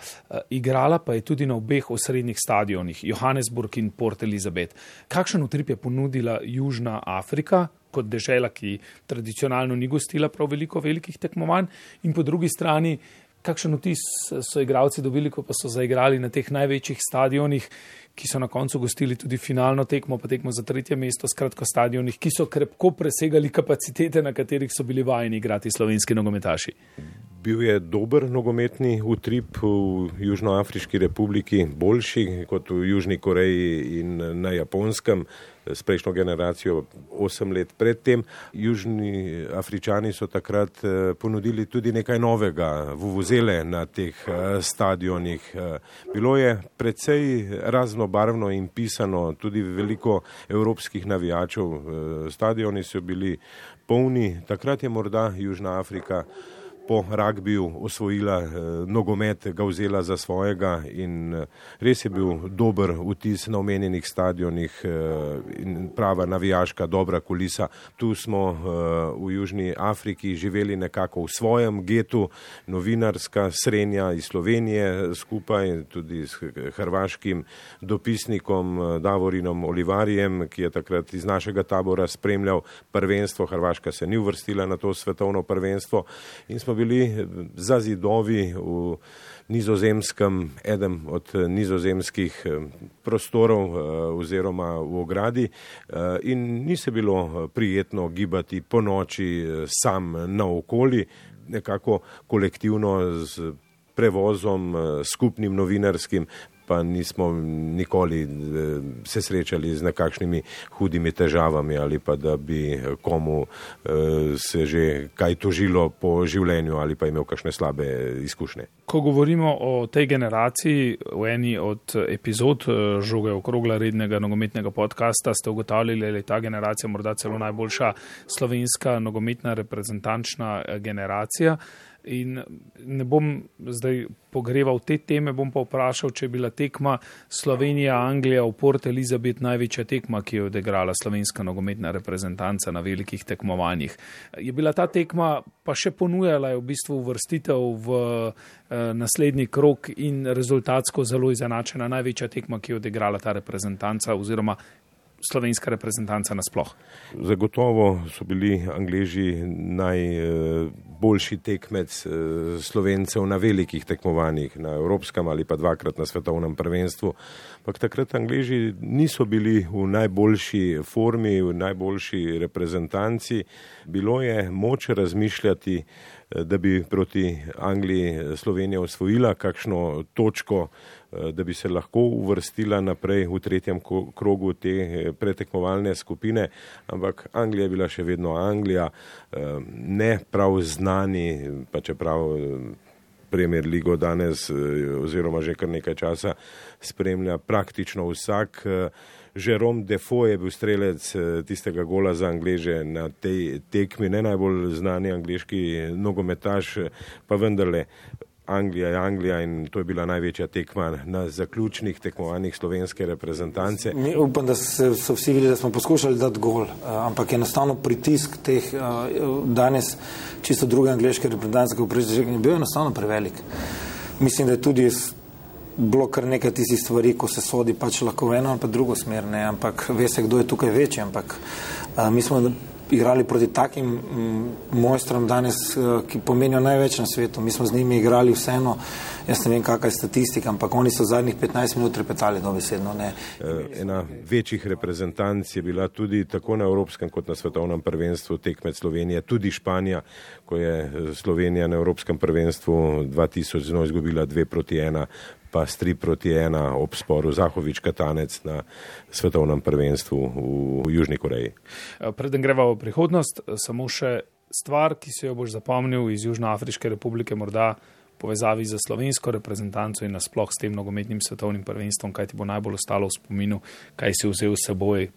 igrala pa je tudi na obeh osrednjih stadionih, Johannesburg in Port Elizabeth. Kakšen utrip je ponudila Južna Afrika kot dežela, ki tradicionalno ni gostila prav veliko velikih tekmovanj, in po drugi strani, kakšen vtis so igralci dobili, ko pa so zaigrali na teh največjih stadionih, ki so na koncu gostili tudi finalno tekmo, pa tekmo za tretje mesto, skratka stadionih, ki so krepko presegali kapacitete, na katerih so bili vajeni igrati slovenski nogometaši. Bil je dober nogometni utrip v Južnoafriški republiki, boljši kot v Južni Koreji in na Japonskem, s prejšnjo generacijo osem let predtem. Južni Afričani so takrat ponudili tudi nekaj novega, vuvuzele na teh stadionih. Bilo je precej raznobarvno in pisano, tudi veliko evropskih navijačev. Stadioni so bili polni, takrat je morda Južna Afrika po ragbiju osvojila eh, nogomet, ga vzela za svojega in eh, res je bil dober vtis na omenjenih stadionih eh, in prava navijaška dobra kulisa. Tu smo eh, v Južni Afriki živeli nekako v svojem getu, novinarska srenja iz Slovenije skupaj tudi s hrvaškim dopisnikom eh, Davorinom Olivarjem, ki je takrat iz našega tabora spremljal prvenstvo. Hrvaška se ni uvrstila na to svetovno prvenstvo in smo bili za zidovi v Nizozemskem, eden od nizozemskih prostorov oziroma v ogradi in ni se bilo prijetno gibati po noči sam naokoli, nekako kolektivno z prevozom skupnim novinarskim, pa nismo nikoli se srečali z nekakšnimi hudimi težavami ali pa da bi komu se že kaj tožilo po življenju ali pa imel kakšne slabe izkušnje. Ko govorimo o tej generaciji, v eni od epizod Žoge okrogla rednega nogometnega podcasta ste ugotavljali, da je ta generacija morda celo najboljša slovenska nogometna reprezentančna generacija. In ne bom zdaj pogreval te teme, bom pa vprašal, če je bila tekma Slovenija-Anglija v Port Elizabeth največja tekma, ki jo je odigrala slovenska nogometna reprezentanca na velikih tekmovanjih. Je bila ta tekma pa še ponujala je v bistvu uvrstitev v eh, naslednji krog in rezultatsko zelo izenačena največja tekma, ki jo je odigrala ta reprezentanca oziroma slovenska reprezentanca nasploh. Zagotovo so bili Angleži najboljši tekmec Slovencev na velikih tekmovanjih, na evropskem ali pa dvakrat na svetovnem prvenstvu. Pak takrat Angleži niso bili v najboljši formi, v najboljši reprezentanci. Bilo je moč razmišljati, da bi proti Angliji Slovenija osvojila kakšno točko, da bi se lahko uvrstila naprej v tretjem krogu te pretekmovalne skupine, ampak Anglija je bila še vedno Anglija, ne prav znani, pa čeprav Premier ligo danes oziroma že kar nekaj časa spremlja praktično vsak. Jerome Defoe je bil strelec tistega gola za Angleže na tej tekmi, ne najbolj znani angleški nogometaš, pa vendarle Anglija je Anglija in to je bila največja tekma na zaključnih tekmovanjih slovenske reprezentance. Mi upam, da se, so vsi videli, da smo poskušali dati gol, ampak enostavno pritisk teh danes čisto druge angleške reprezentance, ko je bil enostavno prevelik. Mislim, da je tudi bilo kar nekaj tistih stvari, ko se sodi pač lahko v eno ali pa drugo smer, ne, ampak ve se, kdo je tukaj večji, ampak a, mi smo igrali proti takim m, mojstrom danes, ki pomenijo največ na svetu. Mi smo z njimi igrali vseeno, jaz ne vem, kakva je statistika, ampak oni so zadnjih petnajst minut repetali dobesedno. Ne. Ena večjih reprezentanc je bila tudi tako na evropskem kot na svetovnem prvenstvu tekmec Slovenije, tudi Španija, ko je Slovenija na evropskem prvenstvu dva tisoč znova izgubila dve proti ena, pa s tri proti ena ob sporu Zahovič-Katanec na svetovnem prvenstvu v Južni Koreji. Preden greva v prihodnost, samo še stvar, ki se jo boš zapomnil iz Južnoafriške republike, morda povezavi za slovensko reprezentanco in nasploh s tem nogometnim svetovnim prvenstvom, kaj ti bo najbolj ostalo v spominu, kaj si vzel s seboj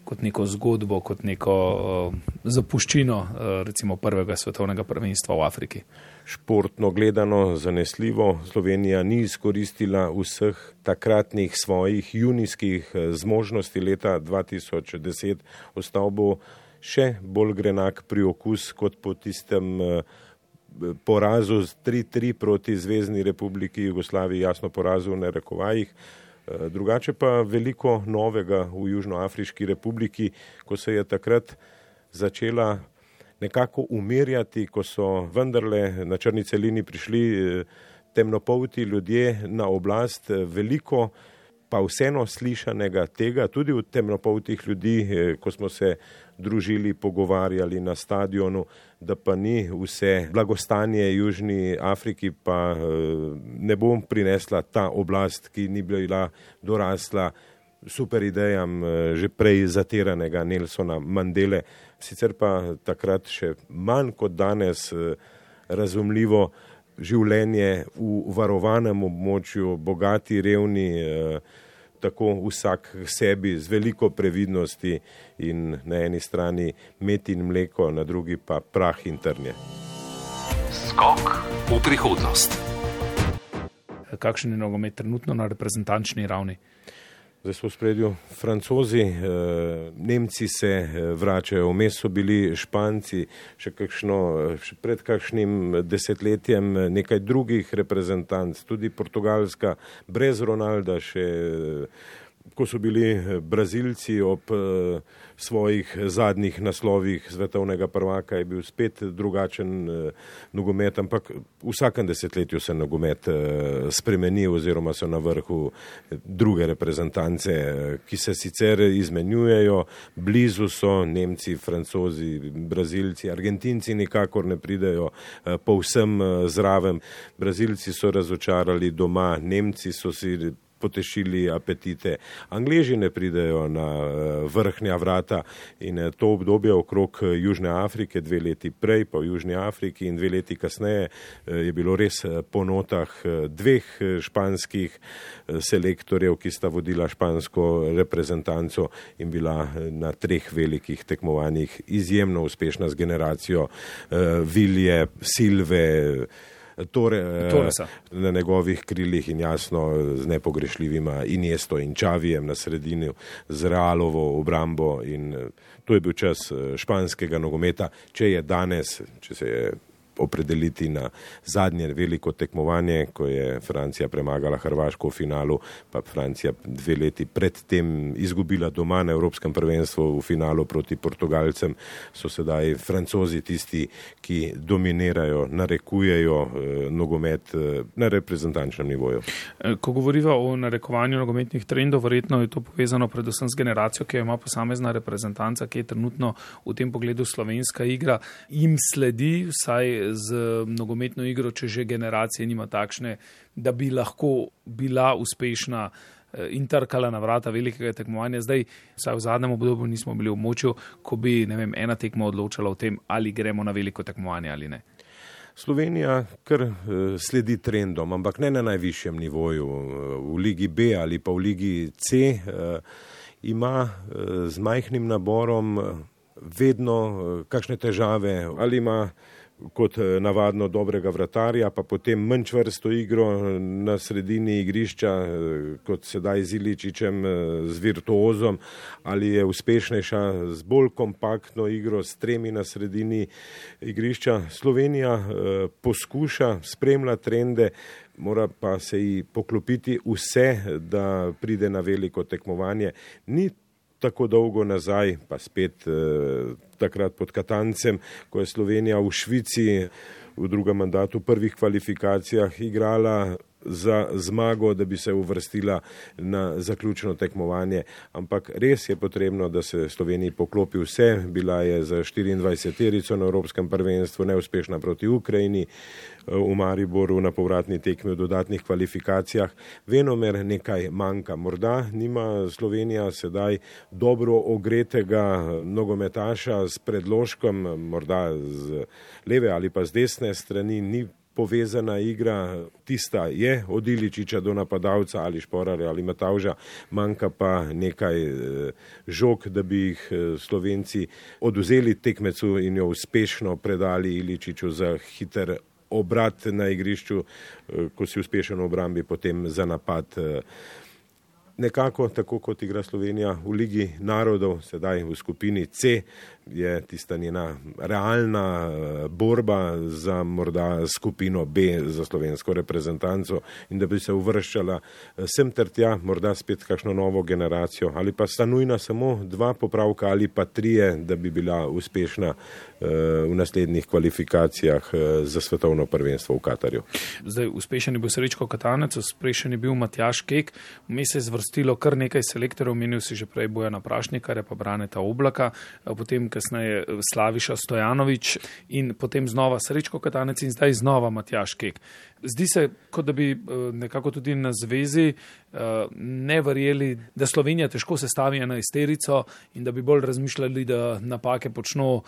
kot neko zgodbo, kot neko uh, zapuščino uh, recimo prvega svetovnega prvenstva v Afriki. Športno gledano zanesljivo Slovenija ni izkoristila vseh takratnih svojih junijskih zmožnosti leta dva tisoč deset. Ostal bo še bolj grenak priokus kot po tistem porazu z tri tri proti Zvezni republiki Jugoslaviji, jasno porazu v narekovajih. Drugače pa veliko novega v Južnoafriški republiki, ko se je takrat začela nekako umirjati, ko so vendarle na črni celini prišli temnopolti ljudje na oblast. Veliko pa vseeno slišanega tega, tudi od temnopoltih ljudi, ko smo se družili, pogovarjali na stadionu, da pa ni vse blagostanje Južni Afriki, pa ne bom prinesla ta oblast, ki ni bila dorasla super idejam že prej zatiranega Nelsona Mandele, sicer pa takrat še manj kot danes razumljivo življenje v varovanem območju, bogati, revni, tako vsak sebi z veliko previdnosti in na eni strani med in mleko, na drugi pa prah in trnje. Skok v prihodnost. Kakšen je nogomet trenutno na reprezentančni ravni? Zdaj so v spredju Francozi, Nemci se vračajo, vmes so bili Španci, še, kakšno, še pred kakšnim desetletjem nekaj drugih reprezentanc, tudi Portugalska, brez Ronalda, še ko so bili Brazilci ob svojih zadnjih naslovih svetovnega prvaka, je bil spet drugačen nogomet, ampak v vsakem desetletju se nogomet spremeni oziroma so na vrhu druge reprezentance, ki se sicer izmenjujejo, blizu so Nemci, Francozi, Brazilci, Argentinci nikakor ne pridejo povsem zraven. Brazilci so razočarali doma, Nemci so si potešili apetite. Angleži ne pridejo na vrhnja vrata in to obdobje okrog Južne Afrike, dve leti prej pa v Južni Afriki in dve leti kasneje je bilo res po notah dveh španskih selektorjev, ki sta vodila špansko reprezentanco in bila na treh velikih tekmovanjih izjemno uspešna z generacijo Vilje, Silve, Tore, na njegovih krilih in jasno z nepogrešljivima Iniesto in Čavijem na sredini, z Realovo obrambo in to je bil čas španskega nogometa. Če je danes, če se je opredeliti na zadnje veliko tekmovanje, ko je Francija premagala Hrvaško v finalu, pa Francija dve leti predtem izgubila doma na Evropskem prvenstvu v finalu proti Portugalcem, so sedaj Francozi tisti, ki dominirajo, narekujejo eh, nogomet eh, na reprezentančnem nivoju. Ko govoriva o narekovanju nogometnih trendov, verjetno je to povezano predvsem z generacijo, ki jo ima posamezna reprezentanca, ki je trenutno v tem pogledu slovenska igra, jim sledi vsaj z nogometno igro, če že generacije nima takšne, da bi lahko bila uspešna in trkala na vrata velikega tekmovanja. Zdaj, vsaj v zadnjem obdobju nismo bili v močju, ko bi, ne vem, ena tekma odločala o tem, ali gremo na veliko tekmovanje ali ne. Slovenija kar sledi trendom, ampak ne na najvišjem nivoju. V Ligi B ali pa v Ligi C ima z majhnim naborom vedno kakšne težave, ali ima kot navadno dobrega vratarja, pa potem manj čvrsto igro na sredini igrišča, kot sedaj z Iličićem, z virtuozom, ali je uspešnejša z bolj kompaktno igro, s tremi na sredini igrišča. Slovenija eh, poskuša, spremlja trende, mora pa se ji poklopiti vse, da pride na veliko tekmovanje. Ni tako dolgo nazaj, pa spet eh, takrat pod Katancem, ko je Slovenija v Švici v drugem mandatu, v prvih kvalifikacijah igrala za zmago, da bi se uvrstila na zaključno tekmovanje. Ampak res je potrebno, da se Sloveniji poklopi vse. Bila je za štiriindvajseterico na Evropskem prvenstvu, neuspešna proti Ukrajini, v Mariboru na povratni tekmi v dodatnih kvalifikacijah. Venomer nekaj manjka. Morda nima Slovenija sedaj dobro ogretega nogometaša s predložkom, morda z leve ali pa z desne strani, ni povezana igra, tista je od Iličića do napadalca ali Šporarja ali Matavža, manjka pa nekaj žog, da bi jih Slovenci oduzeli tekmecu in jo uspešno predali Iličiću za hiter obrat na igrišču, ko si uspešen v obrambi, potem za napad. Nekako tako, kot igra Slovenija v Ligi narodov, sedaj v skupini C, je tista njena realna borba za morda skupino B za slovensko reprezentanco in da bi se uvrščala sem ter tja, morda spet kakšno novo generacijo, ali pa sta nujna samo dva popravka ali pa trije, da bi bila uspešna v naslednjih kvalifikacijah za svetovno prvenstvo v Katarju. Zdaj, uspešen je bil Srečko Katanec, uspešen je bil Matjaž Kek, vmes se je zvrstilo kar nekaj selektorjev, omenil si že prej Bojana Prašnikarja, pa Braneta Oblaka, potem kasneje Slaviša Stojanovič in potem znova Srečko Katanec in zdaj znova Matjaž Kek. Zdi se, kot da bi nekako tudi na zvezi ne verjeli, da Slovenija težko sestavi enajsterico in da bi bolj razmišljali, da napake počno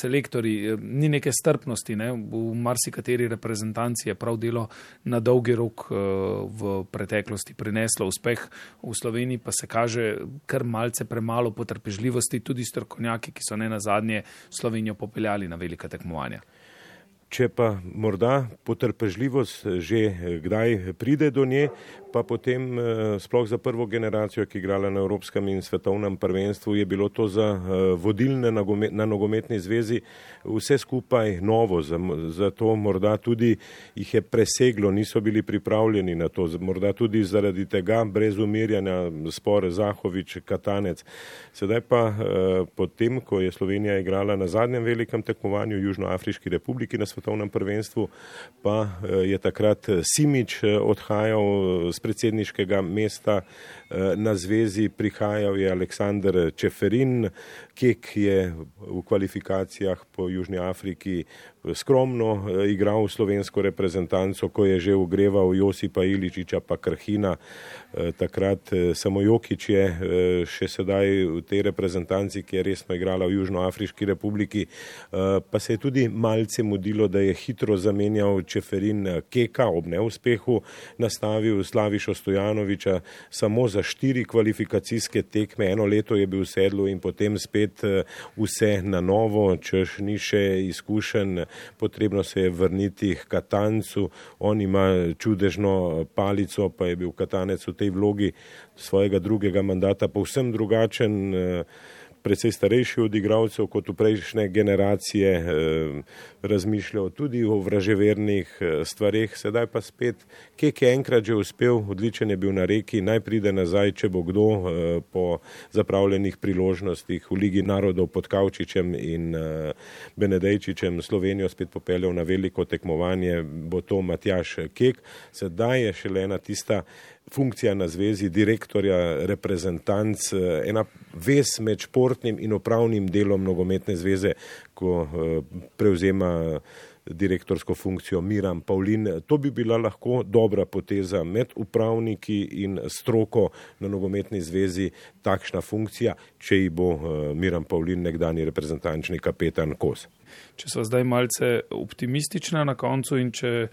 selektorji. Ni neke strpnosti, ne? V marsikateri reprezentanci je prav delo na dolgi rok v preteklosti prineslo uspeh, v Sloveniji pa se kaže kar malce premalo potrpežljivosti, tudi strokovnjaki, ki so ne nazadnje Slovenijo popeljali na velika tekmovanja. Če pa morda potrpežljivost že kdaj pride do nje, pa potem sploh za prvo generacijo, ki je igrala na Evropskem in svetovnem prvenstvu, je bilo to za vodilne na nogometni zvezi vse skupaj novo, zato morda tudi jih je preseglo, niso bili pripravljeni na to, morda tudi zaradi tega brez umirjanja spor Zahovič, Katanec. Sedaj pa potem, ko je Slovenija igrala na zadnjem velikem tekmovanju v Južnoafriški republiki na svetovnem prvenstvu, pa je takrat Simič odhajal z predsedniškega mesta na zvezi, prihajal je Aleksander Čeferin, Kek je v kvalifikacijah po Južni Afriki skromno igral slovensko reprezentanco, ko je že ugreval Josipa Iličiča pa Krhina. Takrat samo Jokić je še sedaj v tej reprezentanci, ki je resno igrala v Južnoafriški republiki, pa se je tudi malce mudilo, da je hitro zamenjal Čeferin Keka ob neuspehu, nastavil Slavišo Stojanoviča samo za štiri kvalifikacijske tekme, eno leto je bil v sedlu in potem spet vse na novo, češ ni še izkušen, potrebno se je vrniti k Katancu, on ima čudežno palico, pa je bil Katanec v tej vlogi svojega drugega mandata povsem drugačen, precej starejši od igralcev kot v prejšnje generacije, razmišljal tudi o vraževernih stvareh, sedaj pa spet, Kek je enkrat že uspel, odličen je bil na Reki, naj pride nazaj, če bo kdo po zapravljenih priložnostih v Ligi narodov pod Kavčičem in Benedejčičem Slovenijo spet popeljal na veliko tekmovanje, bo to Matjaž Kek. Sedaj je šele ena tista funkcija na zvezi direktorja reprezentanc, ena vez med športnim in upravnim delom nogometne zveze, ko prevzema direktorsko funkcijo Miran Pavlin. To bi bila lahko dobra poteza med upravniki in stroko na nogometni zvezi, takšna funkcija, če ji bo Miran Pavlin, nekdanji reprezentančni kapetan, kos. Če so zdaj malce optimistična na koncu in če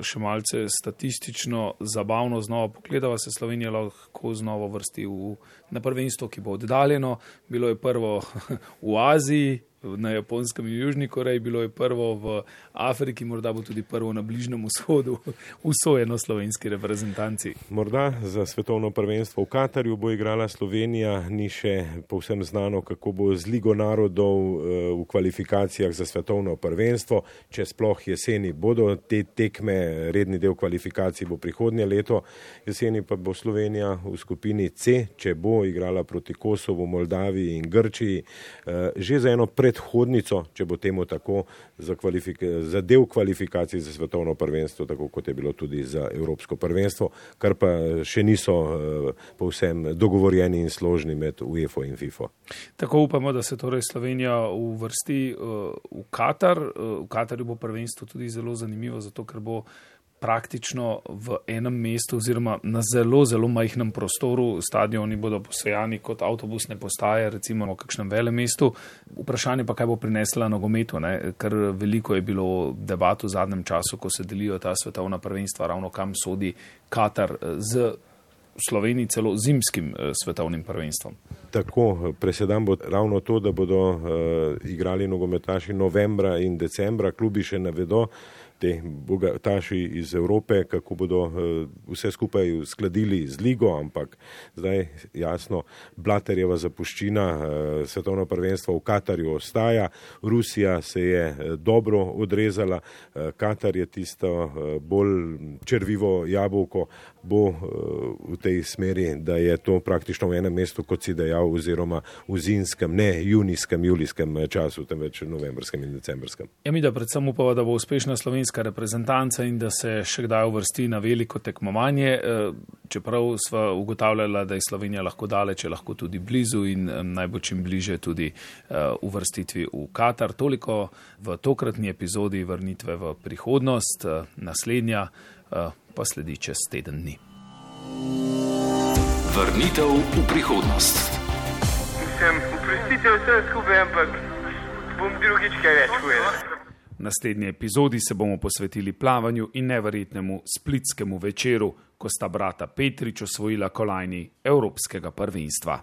še malce statistično zabavno znova pogledava, se Slovenija lahko znova vrsti v, na prvenstvo, ki bo oddaljeno. Bilo je prvo v Aziji, na Japonskem in Južni Koreji, bilo je prvo v Afriki, morda bo tudi prvo na Bližnjem vzhodu, usojeno slovenski reprezentanci. Morda za svetovno prvenstvo v Katarju bo igrala Slovenija, ni še povsem znano, kako bo z Ligo narodov v kvalifikacijah za svetovno prvenstvo, če sploh jeseni bodo te tekme, redni del kvalifikacij bo prihodnje leto, jeseni pa bo Slovenija v skupini C, če bo igrala proti Kosovu, Moldaviji in Grčiji, že za eno predhodnico, če bo temu tako, za, za del kvalifikacij za svetovno prvenstvo, tako kot je bilo tudi za evropsko prvenstvo, kar pa še niso uh, povsem dogovorjeni in složni med UEFA in FIFA. Tako upamo, da se torej Slovenija uvrsti uh, v Katar. Uh, v Katarju bo prvenstvo tudi zelo zanimivo, zato ker bo praktično v enem mestu oziroma na zelo, zelo majhnem prostoru. Stadioni bodo posejani kot avtobusne postaje, recimo v kakšnem velem mestu. Vprašanje pa, kaj bo prinesla nogometu, ne? Ker veliko je bilo debat v zadnjem času, ko se delijo ta svetovna prvenstva, ravno kam sodi Katar z Sloveniji celo zimskim svetovnim prvenstvom. Tako, presedan bo ravno to, da bodo uh, igrali nogometaši novembra in decembra, klubi še ne vedo, te bogataši iz Evrope, kako bodo vse skupaj uskladili z ligo, ampak zdaj jasno, Blaterjeva zapuščina, svetovno prvenstvo v Katarju ostaja, Rusija se je dobro odrezala, Katar je tisto bolj črvivo jabolko, bo v tej smeri, da je to praktično v enem mestu, kot si dejal, oziroma v zimskem, ne junijskem, julijskem času, temveč novembrskem in decembrskem. Ja, mi da predvsem upava, da bo uspešna slovenska reprezentanca in da se še kdaj uvrsti na veliko tekmovanje, čeprav sva ugotavljala, da je Slovenija lahko daleč, lahko tudi blizu in naj bo čim bliže tudi uvrstitvi v Katar. Toliko v tokratni epizodi Vrnitve v prihodnost, naslednja pa sledi čez teden dni. Vrnitev v prihodnost. Mislim, oprostite vse skupaj, ampak bom drugič kaj več povedal. V naslednji epizodi se bomo posvetili plavanju in neverjetnemu splitskemu večeru, ko sta brata Petrič osvojila kolajni evropskega prvenstva.